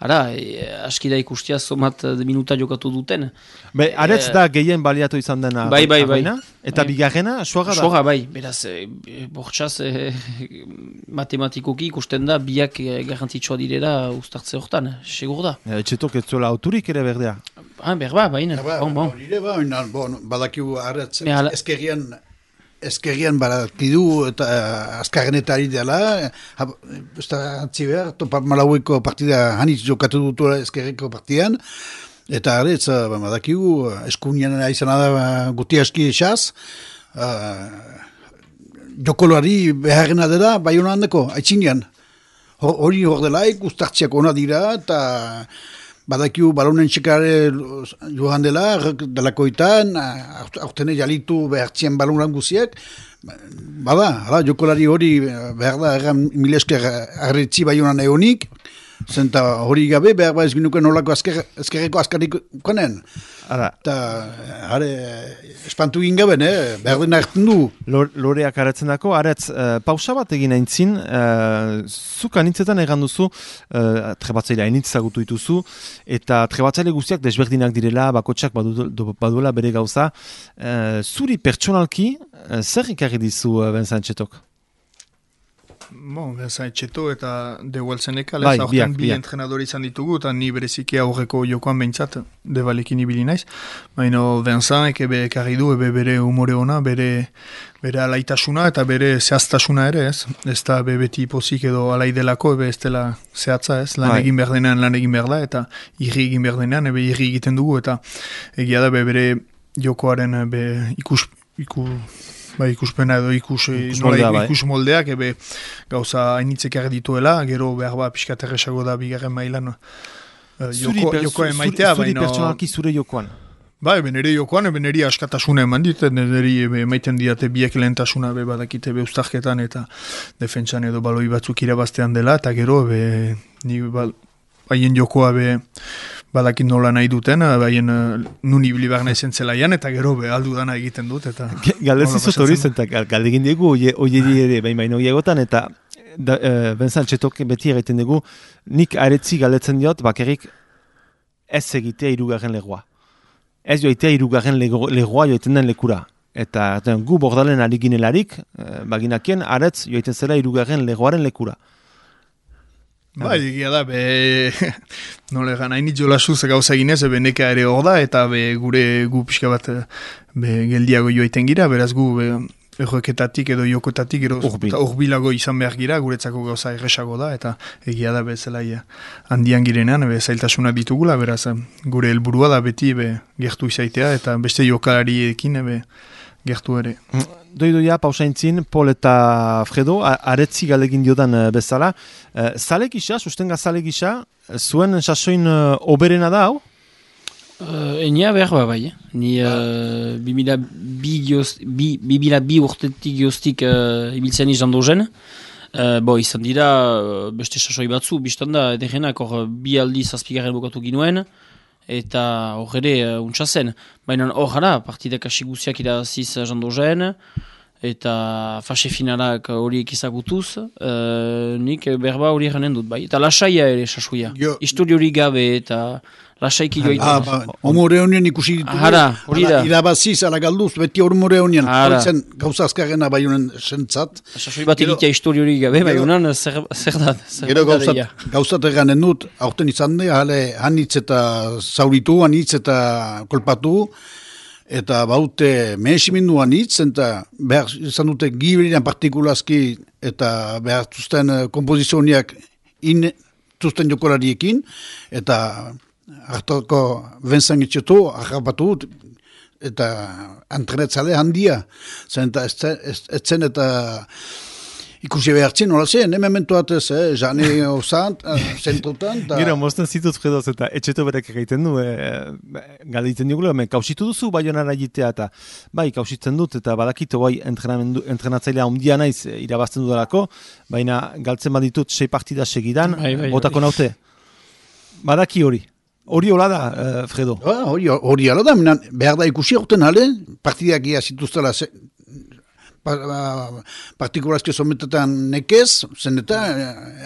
ara, e, aski da ikustia somat minuta jokatu duten. Be, aretz e, da gehien baliatu izan dena. Bai, bai, bai. Eta bai. Bigarrena, suaga da? Suaga, bai. Beraz, e, bortxaz, e, matematikoki ikusten da, biak e, garrantzitsua direla ustartze hortan, segur da. E, etxetok ez zuela autorik ere berdea? Ah, berba, baina. Bon, bon. Ba, bon, badakiu aretz, ezkerrian... Ezkerrian barakidu eta uh, azkarrenetari dela, ez da antzi behar, topa malaueko partida hanitz jokatu dutu ezkerreko partidan, eta aretz, uh, badakigu, eskunian izan da guti aski esaz, uh, jokoloari beharrena dela, bai hona handeko, haitzinean. Hori hor delaik, ustartziak ona dira, eta badakiu balonen txekare joan dela, delakoitan, aurtene jalitu behartzien balonan guziak, bada, hala, jokolari hori behar da, erran mila esker arretzi bai honan egonik, zenta hori gabe, behar ba ez ginuken nolako ezkerreko azkarik konen. Eta, hare, espantu egin gaben, eh? Behar dena erten du. Loreak aratzen dako, aretz, uh, pausa bat egin aintzin, uh, zuk anitzetan egan duzu, uh, trebatzailea anitzagutu dituzu, eta trebatzaile guztiak desberdinak direla, bakotxak badu, baduela bere gauza. Uh, zuri pertsonalki, uh, zer ikarri dizu uh, Benzantxetok? Bon, Benzantxeto eta Deuelzeneka, lez, aurten bi entrenadori izan ditugu, eta ni bereziki aurreko jokoan behintzat, debalekin ibili naiz. Baina Benzant ebe ekarri du, ebe bere humore ona, bere, bere alaitasuna eta bere zehaztasuna ere, ez? Ez da be beti pozik edo alai delako, ebe ez dela zehatza, ez? Lan egin behar denean, lan egin behar da, eta irri egin behar denean, ebe irri egiten dugu, eta egia da, be bere jokoaren be ikus... ikus Bai, ikuspena edo ikus, ikus, moldea, nola, ikus moldeak, ebe gauza hainitzek dituela, gero behar ba pixka terresago da bigarren mailan uh, joko, jokoa emaitea. Zuri pertsonalki zure jokoan? Bai, benere jokoan, beneri askatasuna eman dit, beneri emaiten diate biek lehentasuna be badakite be ustarketan eta defentsan edo baloi batzuk irabaztean dela, eta gero be, ni ba, haien jokoa be badakit nola nahi duten, baien nun ibili behar nahi zelaian, eta gero be aldu dana egiten dut. Galdezizut hori zen, galdegin dugu, oie ere, bain baino egotan, eta uh, Benzantxetok beti egiten dugu, nik aretzi galdetzen diot, bakarrik ez egitea irugarren legoa. Ez joitea irugarren legoa joiten den lekura. Eta ten, gu bordalen ari ginelarik, uh, baginakien, aretz joiten zela irugarren legoaren lekura. Bai, egia da, be, nole egan, hain itxolasuz gauza ginez, be neka ere hor da, eta be, gure gu pixka bat be, geldiago joaiten gira, beraz gu be, erroeketatik edo jokotatik gero urbilago izan behar gira, guretzako gauza erresago da, eta egia da bezala handian girenean, be, zailtasuna ditugula, beraz, gure helburua da beti be, gertu izaitea, eta beste jokalariekin be, gertu ere. Doidoia, pausaintzin, Pol eta Fredo, aretzi galegin diodan bezala. Zale gisa, sustenga zale gisa, zuen sasoin oberena da, hau? Uh, Enia behar ba bai, eh? Ni uh, bimila bi, bi, bi, bi urtetik gioztik uh, ibiltzen izan dozen. Uh, bo, izan dira uh, beste sasoi batzu, biztan da, edegenak hor bi aldi zazpigarren bukatu ginuen, eta hor ere uh, untsa zen. Baina hor gara, partidak asiguziak iraziz izan dozen, eta fase finalak horiek izagutuz, uh, nik berba hori eranen dut bai. Eta lasaia ere sasoia, histori hori gabe eta... Lasaiki joa ah, ba, omore honien ikusi ditugu. Hara, hori da. Irabaziz, ala galduz, beti omore honien. Hortzen gauza azkarrena bai honen sentzat. Sasoi bat egitea histori hori gabe, bai honen zer, zer da. Gero gauzat, gauzat eganen dut, aurten izan de, hale, hanitz eta zauritu, hanitz eta kolpatu, eta baute mehesimindu hanitz, eta behar izan dute giberian partikulazki, eta behar zuzten kompozizioniak in zuzten jokolariekin, eta hartoko benzan etxetu, ahrapatu, eta antrenetzale handia. Zen eta etzen eta ikusi behartzen, hola zen, hemen mentuatez, eh, jane osant, zentrutan. Gero, mozten zituz fredoz eta etxeto berek egiten du, e, galditzen dugula, kausitu duzu baionara jitea, eta bai, kausitzen dut, eta badakito bai entrenatzailea ondia naiz irabazten dudalako, baina galtzen baditut sei partida segidan, bai, bai, botako bai. Naute. Badaki hori. Hori hola da, uh, Fredo? Hori ah, hori hola da, minan, behar da ikusi horten hale, partidak ia zituztela pa, uh, partikulazke sometetan nekez, zen eta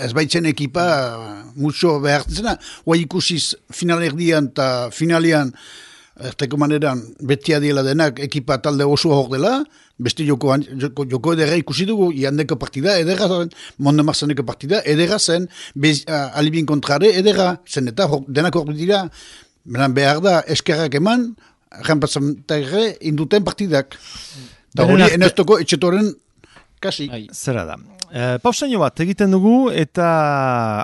ez baitzen ekipa uh, mucho behar zena, hoa ikusiz final erdian eta finalian, erteko maneran betia dela denak ekipa talde oso hor dela, beste joko, joko, joko edera ikusi dugu, iandeko partida edera zen, monde marzaneko partida edera zen, bez, uh, alibin kontrare edera zen, eta hor, denak hor dira, behar da eskerrak eman, renpatzantagre induten partidak. Eta hori eneztoko etxetoren kasi. Zera da. E, pausaino bat egiten dugu eta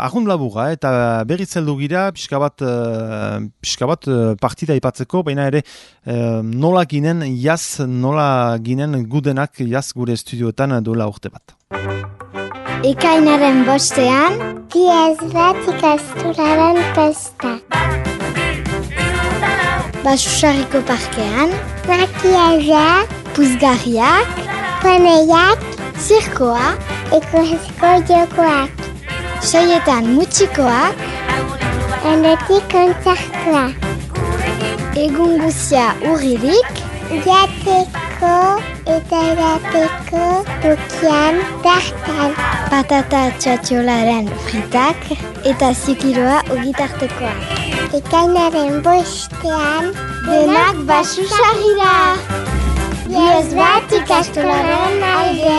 ahund labuga eta berriz heldu gira pixka bat, e, pixka bat partida ipatzeko, baina ere e, nola ginen jaz, nola ginen gudenak jaz gure estudioetan duela urte bat. Ekainaren bostean, diez bat ikasturaren pesta. Basusarriko parkean, makiaja, puzgarriak, paneiak, zirkoa, ekologiko jokoak. Saietan mutxikoak, handetik kontzertua. Egun guzia urririk, jateko eta edateko tokian tartan. Patata txatxolaren fritak eta zikiroa ogitartekoa. Ekainaren bostean, denak basusarrira. Diez bat ikastolaren alde.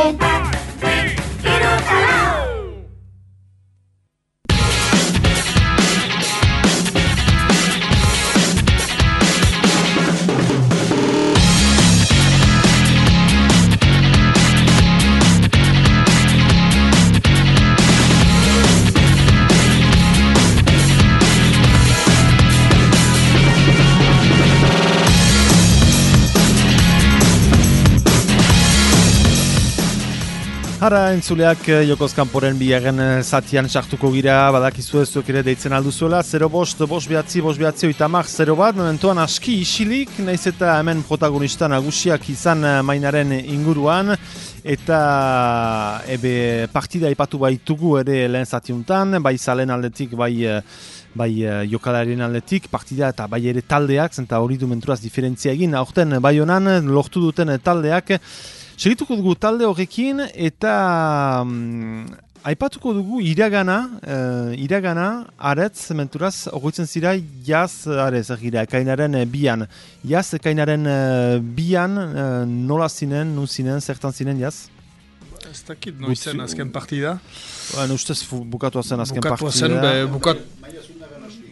Hara entzuleak Jokoz Kanporen bigarren zatian sartuko gira, badakizu ez zuek ere deitzen alduzuela, zero bost, bost behatzi, bost behatzi, oitamak, zero bat, momentuan aski isilik, naiz eta hemen protagonista nagusiak izan mainaren inguruan, eta ebe partida ipatu baitugu ere lehen zatiuntan, bai zalen aldetik, bai... bai jokalarien aldetik, partida eta bai ere taldeak, zenta hori du menturaz diferentzia egin, aurten bai honan lortu duten taldeak, segituko dugu talde horrekin eta um, aipatuko dugu iragana, uh, iragana aretz menturaz horretzen zira jaz arez egira, ekainaren bian. Jaz ekainaren uh, bian uh, nola zinen, nun zinen, zertan zinen jaz? Ez dakit, no izen azken partida. Bueno, ustez bukatua zen azken bukatua partida. Zen, be, bukat...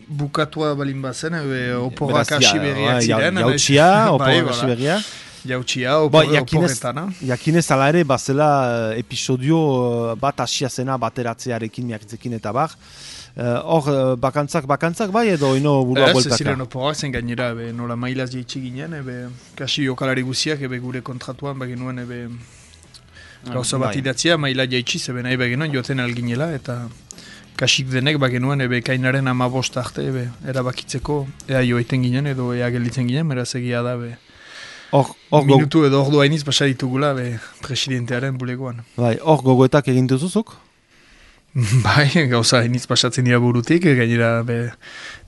Bukatua balin bazen, oporrak hasi berriak ziren. Jautxia, oporrak hasi berriak. jautxia, oporretan. Jakinez ala ere, bazela episodio bat asia zena bateratzearekin miakitzekin eta bar. Hor, uh, bakantzak, bakantzak bai edo ino burua boltaka? Ez, ziren oporak zen gainera, ebe, nola mailaz jaitsi ginen, ebe, kasi jokalari guziak, ebe gure kontratuan, bagenuen, ebe, gauza bat idatzia, maila jaitsi, zebe nahi bagenuen, joten alginela, eta kasik denek bagenuen, ebe, kainaren amabost arte, ebe, erabakitzeko, ea joiten ginen, edo ea gelitzen ginen, meraz egia da, ebe, or, or minutu edo ordu hainiz basa ditugula, ebe, presidentearen bulegoan. Bai, hor gogoetak egin duzuzuk? Bai, gauza hainiz pasatzen dira burutik, gainera be,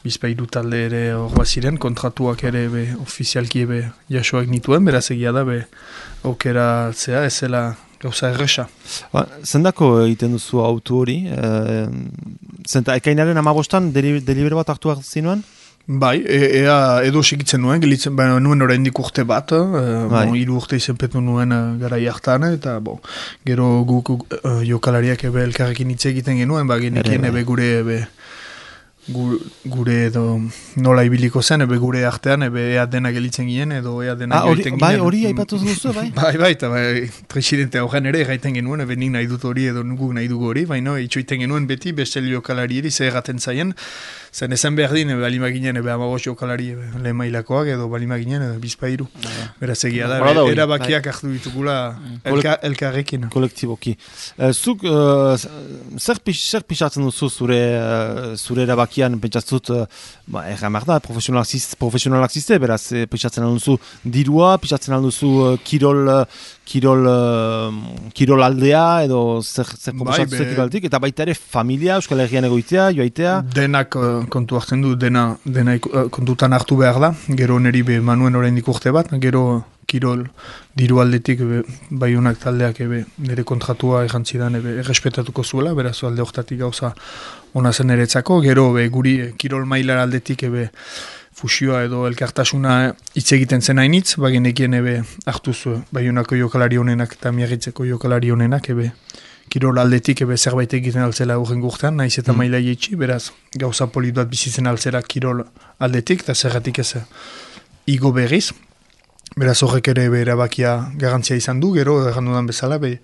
bizpairu talde ere horba ziren, kontratuak ere be, ofizialki ebe jasoak nituen, beraz egia da, be, aukera zea, ez zela gauza erresa. Ba, zendako egiten duzu autu hori? E, zenta, ekainaren amabostan delibero bat hartu zinuen? Bai, e, ea edo segitzen nuen, gelitzen, ba, nuen oraindik urte bat, e, bai. Bon, hiru urte izenpetu nuen garai hartan, eta bon, gero guk uh, jokalariak ebe elkarrekin hitz egiten genuen, ba, genekien ebe gure, ebe, gure, gure edo nola ibiliko zen, ebe gure artean, ebe ea dena gelitzen ginen, edo ea dena ah, gelitzen ginen. Bai, hori aipatu duzu, bai? bai, bai, eta bai, presidente horren ere gaiten genuen, ebe nik nahi dut hori edo nuguk nahi dugu hori, baina itxoiten genuen beti, beste jokalari eri, zer erraten zaien, zen ezen behar din, ebe balima ginen, ebe amagos jokalari, ebe lehen mailakoak, edo balima ginen, edo bizpairu. Beraz egia da, ebe, erabakiak hartu ditugula elka, elkarrekin. Kolektiboki. Uh, zuk, uh, zer, pix, zer pixatzen duzu zure, uh, zure erabakian, pentsatzut, uh, ba, erramar da, profesionalak ziste, beraz, eh, pixatzen alduzu dirua, pixatzen alduzu uh, kirol, uh, kirol, uh, kirol aldea, edo zer, zer proposatu bai, kirol aldik, eta baita ere familia, Euskal Herrian egoitea, joaitea? Denak uh, kontu hartzen du, dena, dena uh, kontutan hartu behar da, gero neri be manuen oraindik urte bat, gero kirol diru aldetik be, baiunak taldeak ebe, nire kontratua errantzidan ebe, errespetatuko zuela, beraz alde hortatik gauza ona zen eretzako, gero be, guri kirol mailar aldetik ebe, fusioa edo elkartasuna hitz egiten zen hainitz, bagenekien ebe hartuz baiunako jokalari honenak eta miagitzeko jokalari honenak ebe kirol aldetik ebe zerbait egiten altzela urren gurtean, naiz eta mm. maila jetxi, beraz gauza polit bat bizitzen altzera kirol aldetik, eta zergatik ez igo berriz. Beraz horrek ere be erabakia garantzia izan du, gero errandu dan bezala, be,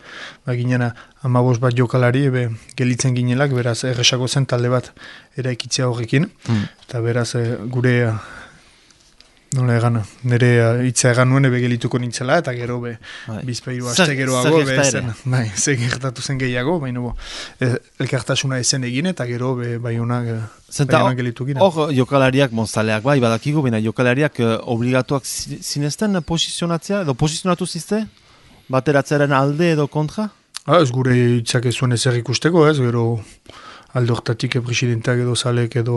ba ginena amabos bat jokalari ebe gelitzen ginelak, beraz erresako zen talde bat eraikitzea horrekin, mm. eta beraz gure, nola egan, nire hitza egan nuen ebe gelituko nintzela, eta gero be bizpairu aste geroago, be zen, bai, ze gertatu zen gehiago, baina bo, elkartasuna ezen egin, eta gero be bai honak gelitu ginen. Hor jokalariak monzaleak bai, badakigu, baina jokalariak uh, obligatuak zinezten posizionatzea, edo posizionatu zizte? Bateratzearen alde edo kontra? Ah, ez gure hitzak ez zuen ezer ikusteko, ez, gero alde hortatik presidenteak edo zalek edo,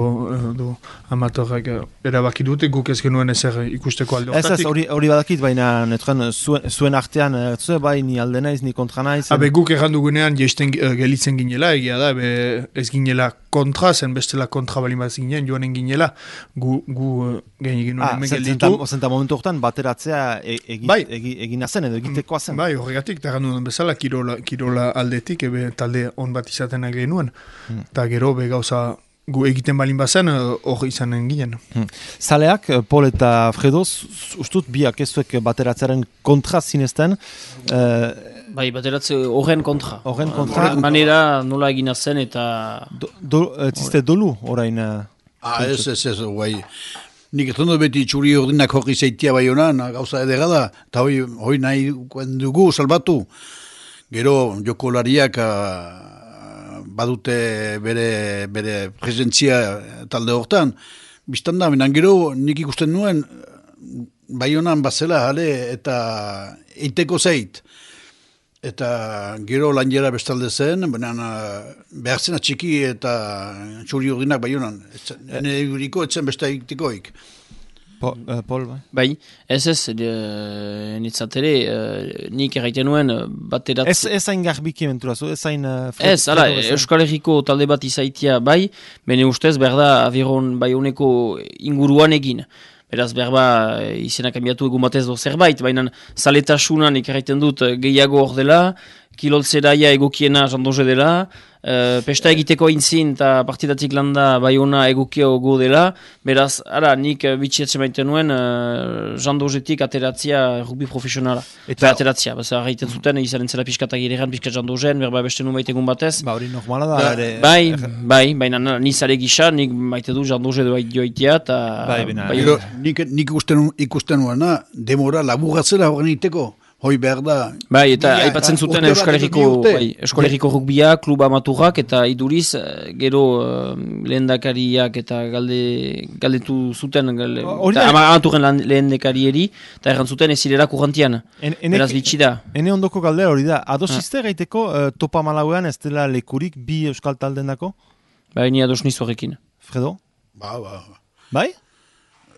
edo amatorrak erabaki dute, guk ez genuen ezer ikusteko alde hortatik. Ez ez, hori, hori badakit, baina netren, zuen, zuen artean, zuen bai, ni alde naiz, ni kontra naiz. Habe guk errandu gunean, jeisten uh, gelitzen ginela, egia da, be, ez ginela kontra, zen bestela kontra balin bat ginen, joanen ginela, gu, gu uh, gen egin nuen hemen gelditu. Zenta momentu hortan, bateratzea e, egi, bai. egi, egina zen, edo egitekoa zen. Bai, horregatik, eta errandu duen bezala, kirola, kirola aldetik, ebe talde on bat izaten genuen. Hmm. Eta gero be gauza gu egiten balin bazen hor izanen ginen. Hmm. Zaleak, Pol eta Fredo, ustut biak ez zuek bateratzearen kontra zinezten. Uh, bai, bateratze horren kontra. Horren kontra. Horren manera nola egina zen eta... Do, do, ziste dolu orain? Ah, ez, ez, ez, guai. Nik ez dut beti txuri ordinak horri zeitia bai honan, gauza edera da, eta hoi, hoi nahi dugu salbatu. Gero jokolariak... badute bere, bere presentzia talde hortan. Bistan da, minan gero nik ikusten nuen, bai honan bazela jale eta eiteko zeit. Eta gero lan jera bestalde zen, benan behar zena txiki eta txuri urdinak bai honan. Hene eguriko etzen beste eitikoik. Po, uh, Pol, bai? Bai, ez ez, uh, nitzatere, uh, nik erraiten nuen baterat... Ez, ez hain garbiki menturazu, ez hain... Uh, ez, ala, Euskal Herriko talde bat izaitia bai, bene ustez, berda, abiron bai honeko inguruan egin. Beraz, berba, izena kambiatu egun batez do zerbait, baina zaletasunan nik erraiten dut gehiago hor dela, kiloltzeraia egokiena jandoze dela, uh, pesta egiteko intzin eta partidatik landa Baiona egokio gu dela, beraz, ara, nik uh, bitxiatzen maiten nuen uh, jandozetik ateratzia rugby profesionala. Eta ateratzia, baza, arraiten zuten, izan entzela pixkatak girean, pixkat jandozen, berba beste nu maitegun batez. Ba, hori normala da. Ba, ere... Bai, bai, baina nizare gisa, nik maite du jandoze doa joitea, eta... Bai, bina. Bai, nik, nik ikusten, ikusten nuena, demora laburatzela horren iteko. Hoi behar da. Bai, eta aipatzen zuten Euskal Herriko, bai, Euskal Herriko rugbia, kluba maturrak, eta iduriz, gero uh, lehendakariak eta galde, galdetu zuten, galde, eta amaturren lehendakarieri, eta erran zuten ez zirela kurrantian. En, Beraz bitxi da. Ene ondoko galdera hori da, adosizte ah. gaiteko uh, topa malauean ez dela lekurik bi euskal talden dako? Bai, ni ados nizu horrekin. Fredo? Ba, ba. Bai?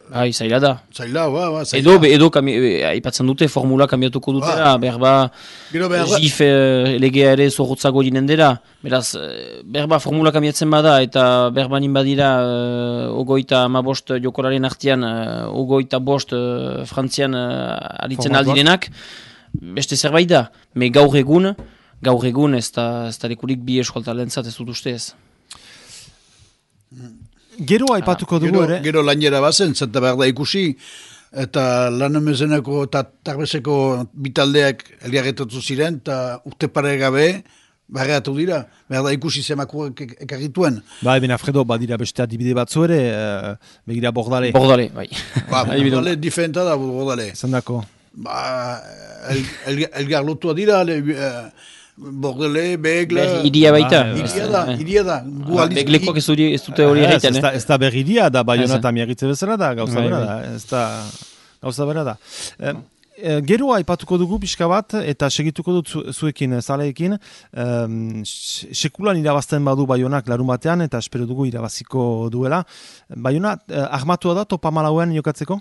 Bai, zaila da. Zaila, ba, ba, zaila. Edo, edo kami, aipatzen dute, formula kambiatuko dutera, ba. berba, jif legea ere zorrotzago ginen dira. Beraz, berba formula kambiatzen bada, eta berba nin badira, uh, ogoita ma bost jokolaren artian, uh, ogoita bost uh, frantzian uh, aritzen aldirenak, beste zerbait da. Me gaur egun, gaur egun ez da, ez da lekurik bi eskoltalentzat ez dut uste ez. Gero aipatuko dugu ere? Gero lainera bazen, zenta behar da ikusi, eta lan emezeneko eta tarbezeko bitaldeak eliagetatu ziren, eta urte pare gabe, barreatu dira, behar da ikusi zemakuak ekarrituen. Bai, ben Alfredo, badira beste adibide batzu ere, uh, begira Bordale. Bordale, bai. Ba, Bordale diferenta da, Bordale. Zendako? Ba, el, el, elgar lotua dira, le, uh, Bordele, Begla... Iria baita. Iria da, iria da. Beglekoak ez dute hori egiten, eh? Ez da berriria da, Baiona eta miagitze bezala da, gauza bera da. Ez da, gauza bera da. E, e, gero aipatuko dugu pixka bat, eta segituko dut zu, zuekin, zaleekin, e, sekulan irabazten badu Baionak larun batean, eta espero dugu irabaziko duela. Baiona, ahmatua da, topa malauen jokatzeko?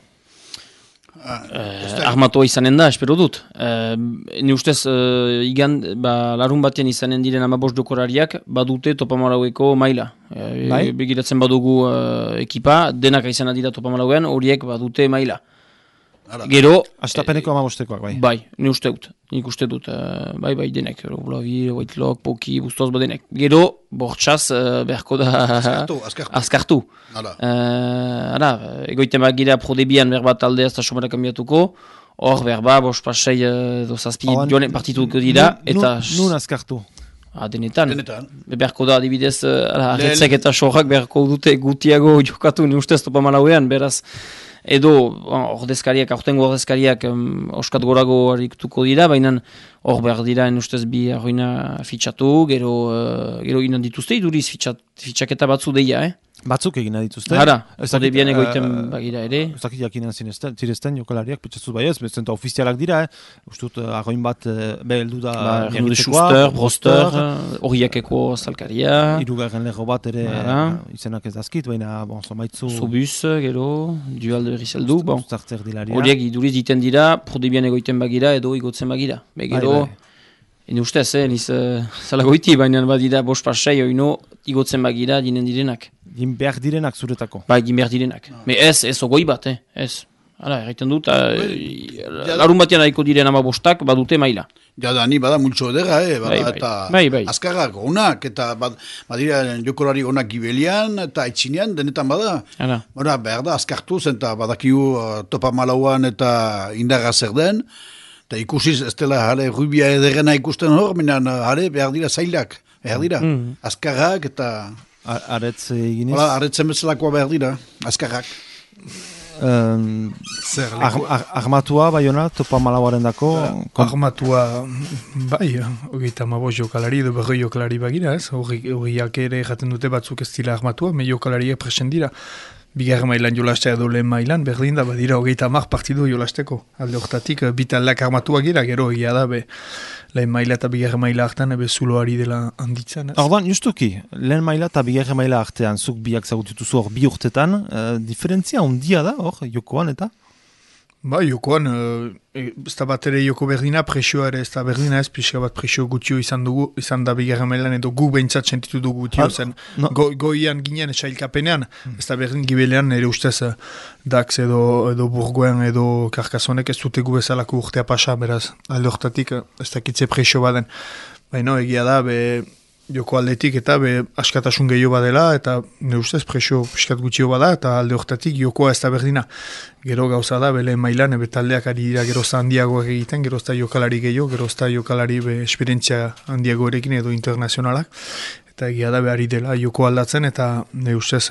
Uh, Armatoa izanen da, espero dut. Uh, ni ustez, uh, igan, ba, larun batean izanen diren amabos dokorariak, badute topamalaueko maila. Uh, bai? Begiratzen badugu uh, ekipa, denak izan dira topamalauean, horiek badute maila. Gero... Astapeneko amabostekoak, bai. Bai, ni uste dut. Nik uste dut. Uh, bai, bai, denek. Blavi, Whitelock, Poki, Bustoz, badenek. Gero, bortxaz, uh, berko da... Azkartu, azkartu. Azkartu. Hala. Uh, ara, egoiten bagira prodebian berba taldea eta somara kambiatuko. Hor, berba, bos pasei uh, dozazpi joan partituko dira. Eta... Nun azkartu? Ah, denetan. Denetan. Berko da, adibidez, uh, arretzek eta sorrak berko dute gutiago jokatu, ni ustez topa malauean, beraz... Edo, ordezkariak, aurtengo ordezkariak um, oskat gorago harrituko dira, baina hor behar dira ustez bi arroina fitxatu, gero, uh, gero inan dituzte, iduriz fitxat, fitxaketa batzu deia, eh? Batzuk egina dituzte? Hara, zode bian egoiten uh, bagira ere. Ez dakit jakinan zirezten jokalariak, petxatzuz bai ez, bezenta ofizialak dira, eh? Ustut, uh, arroin bat, uh, beheldu da... Ba, Ernu de Schuster, Broster, horiakeko zalkaria... Irugarren lego bat ere, uh, izenak ez dazkit, baina, bon, zomaitzu... Sobus, gero, dualde berri zeldu, bon. Horiek iduriz diten dira, prodebian egoiten bagira, edo igotzen bagira. Be, gero... Bai, bai. Ene ustez, eh, niz uh, zalagoiti, baina badira bost pasai, oino, igotzen bagira dinen direnak. Gin behar direnak zuretako. Bai, gin behar direnak. Ah. Me ez, ez ogoi bat, eh, ez. Hala, erraiten dut, uh, larun batean haiko diren ama bostak, badute maila. Ja da, ni bada multxo edera, eh, bada, bai, bai. eta bai, bai. azkarrak onak, eta bad, badira jokolari onak gibelian, eta etxinean, denetan bada. Hala. Bada, behar da, azkartuz, eta badakiu uh, topa malauan eta indarra zer den, eta ikusiz, ez dela, jale, rubia ederrena ikusten hor, minan, jale, behar dira zailak, behar dira, mm. azkarrak eta... Aretz eginez? Hala, aretzen bezalakoa behar dira, azkarrak. Um, ar, ar, armatua, Baiona, topa malauaren dako? Uh, armatua, bai, hogeita mabos jokalari edo berroi jokalari bagira, ez? Horiak ere jaten dute batzuk ez dira armatua, me jokalariak presen dira. Bigarren mailan jolastea edo lehen mailan, berdin da, badira hogeita mar partidu jolasteko. Alde hortatik, bitalak armatuak gira, gero egia da, be, lehen maila eta bigarren maila hartan, ebe zuloari dela handitzen. Ordan, justuki, lehen maila eta bigarren maila artean, zuk biak zagutituzu hor bi urtetan, uh, diferentzia ondia da, hor, jokoan eta? Ba, jokoan, e, ez da bat ere joko berdina, presioa ere ez da berdina ez, pixka bat presio gutio izan dugu, izan da bigarren mailan, edo gu behintzat sentitu dugu gutio zen. No. Go, goian ginen esailkapenean, mm. ez da berdin gibelean, nire ustez Dax edo, edo Burgoen edo Karkasonek ez dute gu bezalako urtea pasa, beraz, alde hortatik ez dakitze presio baden. Baina, egia da, be... joko aldetik eta be askatasun gehiago badela eta ne ustez presio piskat gutxio bada eta alde hortatik jokoa ez da berdina. Gero gauza da bele mailan ebe taldeak ari dira gerozta handiagoak egiten, gerozta jokalari gehiago, gerozta jokalari be esperientzia handiagoerekin edo internazionalak eta egia da behari dela joko aldatzen eta ne ustez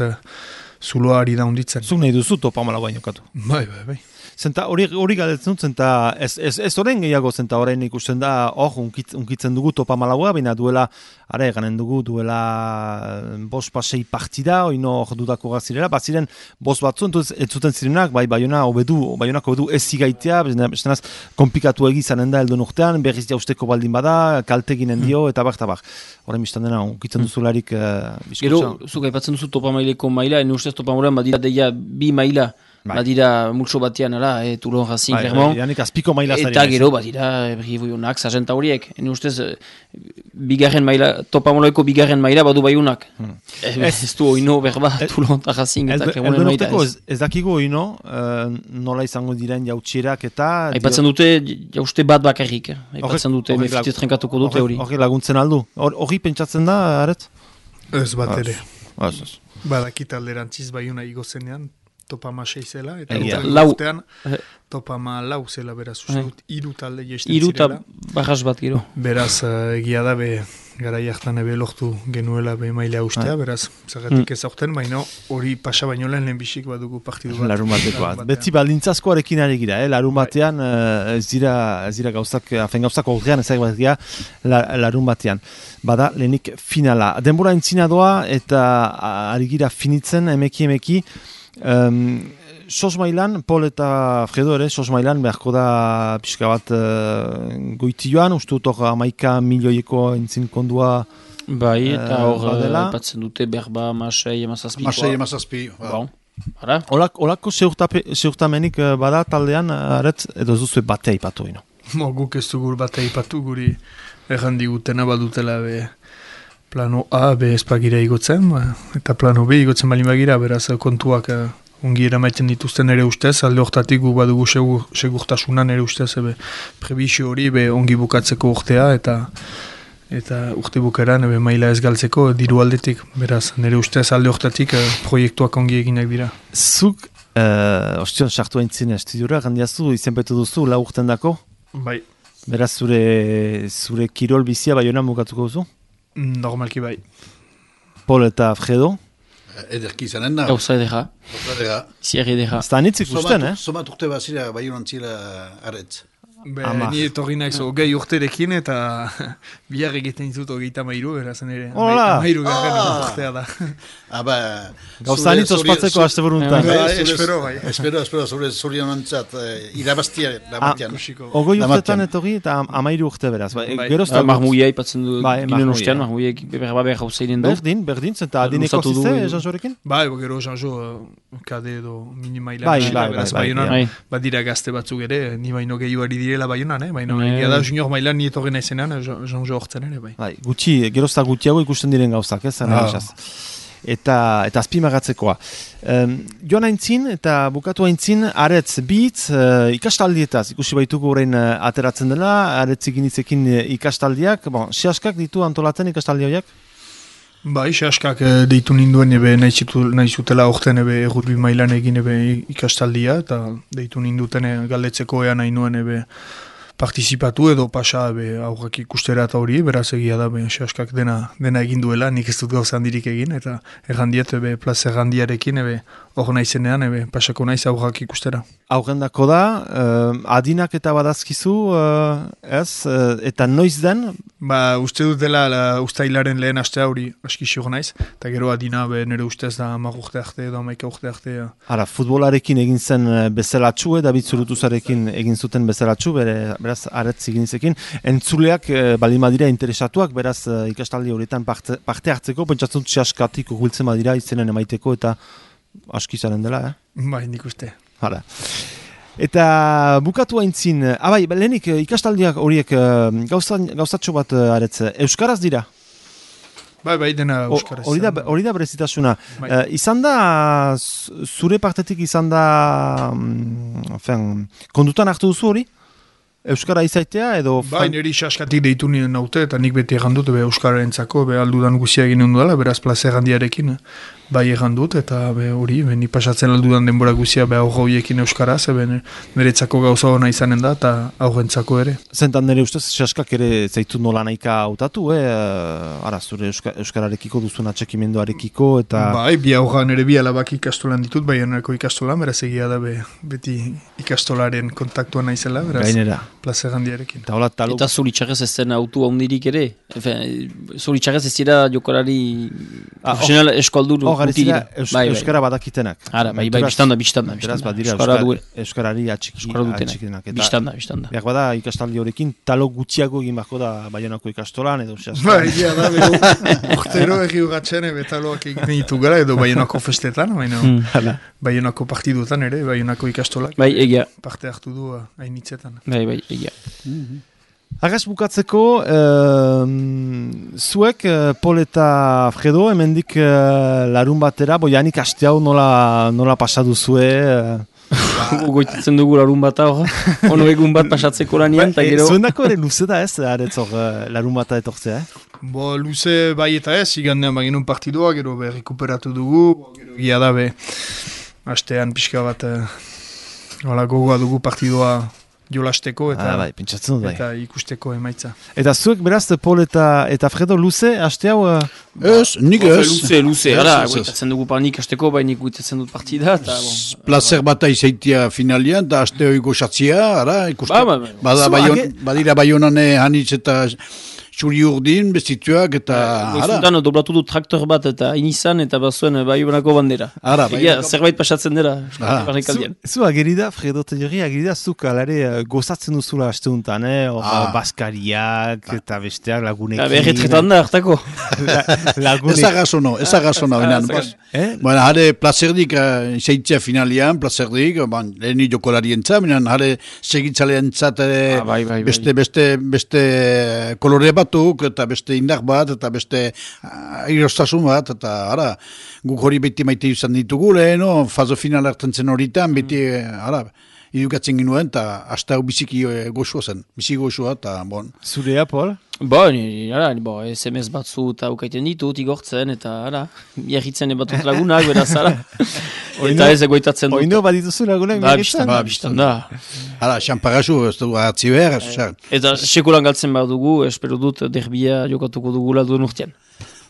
zuloa ari da hunditzen. Zuk nahi duzu topa malagoa jokatu. Bai, bai, bai. Zenta hori hori galdetzen dut, zenta ez, ez, ez horren gehiago, zenta horrein ikusten da, hor, unkit, unkitzen dugu topa malagoa, baina duela, ara eganen dugu, duela bost pasei partida, oino hor dudako gazirela, baziren bost batzu, entuz, ez zuten zirenak, bai, baiona obedu, baionak obedu ez zigaitea, bestenaz, komplikatu egizanen da eldon urtean, berriz jausteko baldin bada, kalteginen dio, eta bak, eta bak. Horren biztan dena, unkitzen duzularik uh, Gero, zuk aipatzen duzu topa maileko maila, ene ustez topa mailan badira deia bi maila, Bai. Badira multso batean, ala, e, Toulon, Racing, Clermont. Bai, eta gero, badira, Brivoionak, Sargenta horiek. Ene ustez, bigarren maila, topa moloeko bigarren maila badu baiunak. Hmm. E, ez du oino berba, Toulon, Racing, eta Clermont maila. Ez, ez dakigu oino, uh, nola izango diren jautxerak eta... Aipatzen dute, jauste bat bakarrik. Aipatzen dute, mefite trenkatuko dute hori. Hori laguntzen aldu. Hori pentsatzen da, aret? Ez bat ere. Badakit alderantziz baiuna igozenean, topa ma sei zela, eta urtean topa ma lau zela, beraz, uste dut, iru talde jesten zirela. Iru eta barras bat gero. Beraz, egia da, be, gara jartan ebe lortu genuela be mailea ustea, beraz, zagatik ez aurten, baina hori pasa baino lehen lehenbixik badugu partidu bat. Larun batekoa. Beti baldintzazkoarekin ari gira, eh? Larun batean, ez dira, ez dira gauzak, afen gauzak horrean ezak bat gira, larun batean. Bada, lehenik finala. Denbora entzina doa, eta ari gira finitzen, emeki emeki, Um, sos mailan, Pol eta Fredo ere, sos mailan beharko da pixka bat uh, goitioan, uste dut hor amaika milioieko entzin kondua bai, eta hor uh, patzen dute berba masei emazazpi. Masei emazazpi. Bon. Bara? Olak, olako seurtamenik bada taldean, aretz, edo zuzue batea ipatu ino? Mo, guk ez dugur batea ipatu guri errandigutena badutela be... Plano A, be espagira igotzen, ba, eta plano B igotzen balin bagira, beraz kontuak uh, ongi eramaiten dituzten ere ustez, alde hortatik gu badugu segur, segurtasunan ere ustez, ebe, prebizio hori be ongi bukatzeko urtea, eta eta urte bukaran ebe, maila ez galtzeko diru aldetik, beraz, nire ustez alde hortatik uh, proiektuak ongi eginak dira. Zuk, uh, ostion, sartu haintzin estudiora, gandiazu, izenpetu duzu, lau urten dako? Bai. Beraz, zure, zure kirol bizia baionan bukatuko duzu? Normalki bai. Pol eta Fredo? Ederki izanen da. Gauza edera. Gauza edera. Zier edera. Zta anitzik usten, eh? Somat urte bazira baiunan zira aretz. Be, ni etorri naiz ogei urterekin eta bihar egiten ditut ogeita mairu, berazan ere. Hola! Mairu garen urtea da. Aba... Gauza anitz ospatzeko haste buruntan. Espero, bai. Espero, espero, zure zuri honantzat irabaztia da batian. Ogoi urtetan etorri eta amairu urte beraz. Gerozta... Marmuia ipatzen du ginen ustean, marmuia berba behar hauzeinen du. Berdin, berdin, zenta adineko zize, Janjorekin? Bai, gero Janjo kade edo minimaila. Beraz, baionan, badira gazte batzuk ere, ni baino gehiuari direla baionan, eh? Baina egia da junior mailan ni etorri naizenean, Janjo hortzen ere, bai. Bai, gutxi, gerozta gutxiago ikusten diren gauzak, ez? Eta, eta azpimagatzekoa. Um, joan aintzin eta bukatu aintzin, aretz bitz uh, ikastaldietaz, ikusi baituko orain uh, ateratzen dela, aretz eginitzekin uh, ikastaldiak, bon, sehaskak ditu antolatzen ikastaldi horiak? Bai, sehaskak uh, deitu ninduen ebe nahi zutela orten ebe errutbi mailan egin ebe ikastaldia, eta deitu ninduten e, galdetzeko ean nahi nuen ebe partizipatu edo pasa be, aurrak ikustera eta hori, beraz egia da, be, sehaskak dena, dena egin duela, nik ez dut gauza handirik egin, eta errandiet, ebe, plaza errandiarekin, ebe, hor naizenean, ebe, pasako naiz aurrak ikustera. Aurrendako da, uh, adinak eta badazkizu, uh, ez, uh, eta noiz den? Ba, uste dut dela, la, ustailaren lehen astea hori aski xor naiz, eta gero adina, be, nire ustez da hamar urte arte edo hamaika urte arte. Ja. Ara, futbolarekin egin zen bezelatxu, David Zurutuzarekin egin zuten bezelatxu, bere, beraz, aretz eginizekin. Entzuleak, e, baldin badira interesatuak, beraz, e, ikastaldi horietan parte, parte hartzeko, pentsatzen dut sehaskatik urbiltzen badira izenen emaiteko, eta aski zaren dela, eh? Bai, nik uste. Hala. Eta bukatu haintzin, abai, lehenik ikastaldiak horiek gauzatxo bat aretze, euskaraz dira? Bai, bai, dena euskaraz. Hori da, hori da berezitasuna. Bai. Uh, izan da, zure partetik izan da, um, kondutan hartu duzu hori? Euskara izaitea edo... Bai, niri saskatik deitu nien naute, eta nik beti egandut, be Euskara entzako, be aldudan guzia egin hundu dela, beraz plaza egandiarekin, bai egandut, eta be hori, be ni pasatzen aldudan denbora guzia, be aurra horiekin Euskaraz, be beretzako gauza hona izanen da, eta aurrentzako ere. Zentan nire ustez, saskak ere zaitu nola nahika hautatu, eh? Ara, zure Euska, Euskararekiko duzun atxekimenduarekiko, eta... Bai, bi aurra nire bi alabak ikastolan ditut, bai enako ikastolan, beraz egia da, be, beti ikastolaren kontaktua naizela, beraz... Gainera. Plaza gandiarekin. Eta, talo... eta zuritxarrez ez zen autu handirik ere. Zuritxarrez ez dira jokolari ah, profesional oh, eskoldur oh, guti dira. Eus, bai, Euskara bai. Badakitenak. Ara, bai, bai, biztanda, biztanda. Euskara Euskarari atxikitenak. Biztanda, biztanda. Biak bada ikastaldi horrekin talo gutxiago egin bako da Baionako ikastolan edo xastan. Bai, ja da, beho, urtero egi ugatzen ebe taloak egin ditu gara edo Baionako festetan, baina hmm. Baionako partidutan ere, Baionako ikastolak. Bai, egia. Parte hartu du hainitzetan. Bai, bai. Ja. Mm-hmm. Agaz bukatzeko, uh, zuek, uh, Pol eta Fredo, hemendik uh, larun batera, boianik aste hau nola, nola pasatu zue? Uh... Goititzen dugu larun bat hau, ono egun bat pasatzeko lanian, eta gero... Zuen dako ere luze da ez, aretzor uh, larun bata etortzea, eh? Bo, luze bai eta ez, igandean baginun partidua, gero be, rekuperatu dugu, gero gia da be, astean pixka bat, uh, wala, gogoa dugu partidua, jolasteko eta, ah, bai, dut, bai. Eta ikusteko emaitza. Eta zuek beraz, Pol eta, eta Fredo luze, haste hau? Ez, nik ez. Luze, luze, ara, guitatzen dugu panik hasteko, baina guitatzen dut partida. Bon. Plazer bata izaitia finalian, eta haste hori goxatzia, ara, ikuste. Ba, ba, ba. Bada, bayon, age... Badira baionane hanitz eta... Txuri urdin, bestituak, eta... Goizuntan, doblatu du traktor bat, eta inizan, eta bazuen Baionako bandera. Ara, Baionako... Zerbait pasatzen dira. Zu, zu agerida, Fredo Telleri, agerida, zuk alare gozatzen duzula hasteuntan, eh? Or, ah. Baskariak, ah. Eta besteak lagunekin. Berretretan da, hartako. Ez agazono, ez agazono. Baina, jare, plazerdik, zeitzea finalian, plazerdik, leheni jokolarien tza, baina, jare, segitzalean tza, beste, beste, beste kolore bat, eta beste indar bat, eta beste airostasun bat, eta ara, guk hori beti maite izan ditugu, leheno, fazo final hartzen zen horitan, beti, ara, idukatzen ginuen, eta hasta hau biziki goxua zen, biziki goxua, eta bon. Zurea, Pol? Bo, nire, ara, bo, S M S batzu eta ukaiten ditut, igortzen, eta ara, miagitzen ebatut lagunak, beraz, ara. Eta ez egoitatzen dut. Oino bat dituzu lagunak miagitzen? Ba, biztan da. Ara, xamparazu, ez du hartzi behar. Eta sekulan galtzen behar dugu, espero dut derbia jokatuko dugula duen urtean.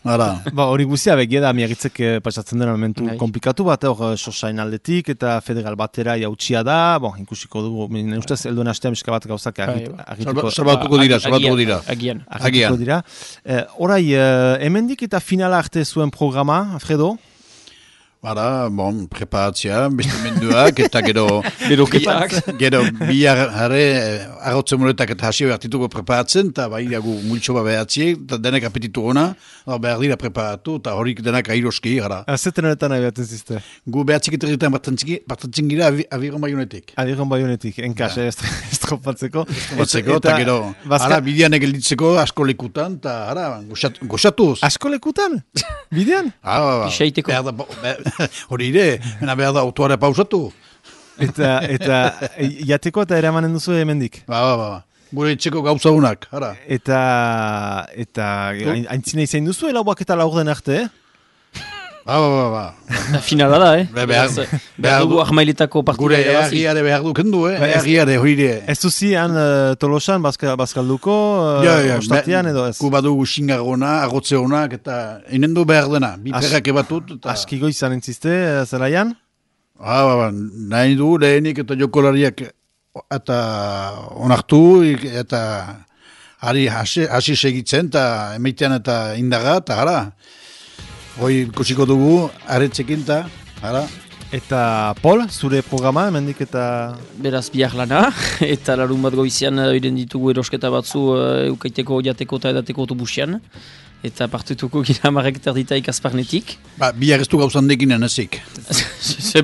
Ara. Ba, hori guzia begia da, miagitzek pasatzen dena momentu komplikatu bat, hor sosain aldetik, eta federal batera jautsia da, bon, ikusiko dugu, minen ustez, elduen hastean miska bat gauzak agituko. Salbatuko dira, salbatuko dira. Agian. Agituko dira. Horai, hemendik eta finala arte zuen programa, Fredo? Bara, bon, preparatzea, bestimenduak, eta gero... Beroketak. Gero, bihar jarre, arrotzen moretak eta hasio hartituko preparatzen, eta bai, gu multxo bat behatziek, eta denek apetitu gona, behar dira preparatu, eta horik denak airoski, gara. Azetan honetan nahi behatzen zizte? Gu behatzik eta egiten partatzen gira Aviron Baionetik. Aviron Baionetik, enkas, ez tropatzeko. Estropatzeko, eta gero, ara, bidean egelditzeko asko lekutan, eta ara, goxatuz. Asko lekutan? Bidean? Ah, hori ere, mena behar da autoare pausatu. Eta, eta, jateko eta eramanen duzu hemendik? Ba, ba, ba. Gure etxeko gauza unak, ara. Eta, eta, aintzina izan duzu, elauak eta laur den arte, eh? Ba, ba, ba, ba. Finala da, eh? Be, behar, behar, behar dugu ahmailetako partida. Gure eagiare behar dukendu, eh? Eagiare, hori ere. Ez duzi, han uh, Tolosan, Bazkalduko, uh, ja, ja, Ostatian, edo ez? Gu badugu xingargona, agotze honak, eta inendu behar dena, bi perrak ebatut. Eta... Askiko izan entziste, zelaian? Ba, ba, ba, nahi du, lehenik eta jokolariak eta onartu, eta ari hasi segitzen, eta emeitean eta indaga, eta gara. Hoi kusiko dugu, aretzekin eta, ara. Eta Pol, zure programa, hemendik eta... Beraz biak lana, eta larun bat goizian iren ditugu erosketa batzu uh, eukaiteko, jateko eta edateko autobusian. eta partutuko gira marrek terditaik azparnetik. Ba, bihar ez du gauzan dekinen ezik.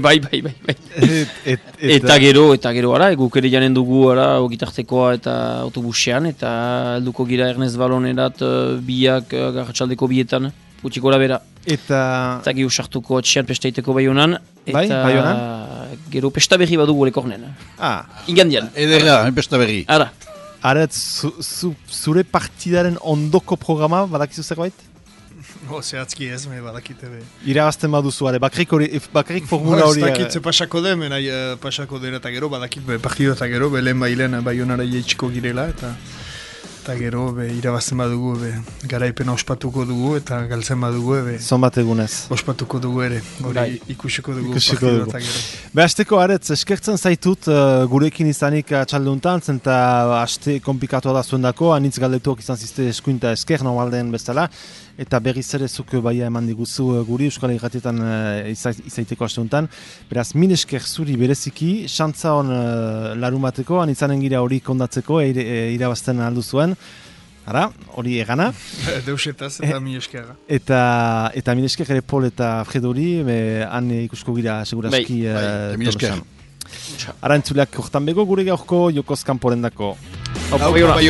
bai, bai, bai, bai. Et, et, et, eta gero, eta gero, ara, guk ere janen dugu, ara, ogitartekoa eta autobusean, eta helduko gira Ernest Balonerat uh, biak uh, garratxaldeko bietan, utxiko bera. Eta... Eta gero sartuko etxean pestaiteko bai honan, eta bai, bai honan? Gero pesta berri badugu lekornen. Ah. Ingandian. Edera, pesta berri. Ara. Ara, zu, zu, zure partidaren ondoko programa, badakizu zerbait? O, zehatzki ez, me badakite be. Irabazten baduzu, are, bakrik, hori, bakrik formula hori... Ez dakit ze pasako den, menai uh, pasako den eta gero, badakit be, partido eta gero, belen bailen baionara jeitxiko girela, eta eta gero, be, irabazten badugu, be, garaipena ospatuko dugu, eta galtzen badugu, be... Zonbat egunez. Ospatuko dugu ere, hori ikusiko dugu ikusiko partido dugu. eta gero. Be, hasteko, aretz, eskertzen zaitut uh, gurekin izanik txalduntan, zenta haste komplikatu da zuen dako, anitz galdetuak izan zizte eskuinta esker, normalden bezala, eta berriz ere zuk baia eman diguzu guri Euskal Irratietan uh, izaiteko asteuntan. Beraz, min esker zuri bereziki, xantza hon uh, larumateko, anitzanen gira hori kondatzeko, e, e, irabazten aldu zuen. Ara, hori egana. Deusetaz eta min eskerra. Eta, eta min esker ere Pol eta Fredori, han ikusko gira segurazki bai, bai, min esker. Ara entzuleak hortan bego gure gaurko Jokoz kanporendako. Hau, bai,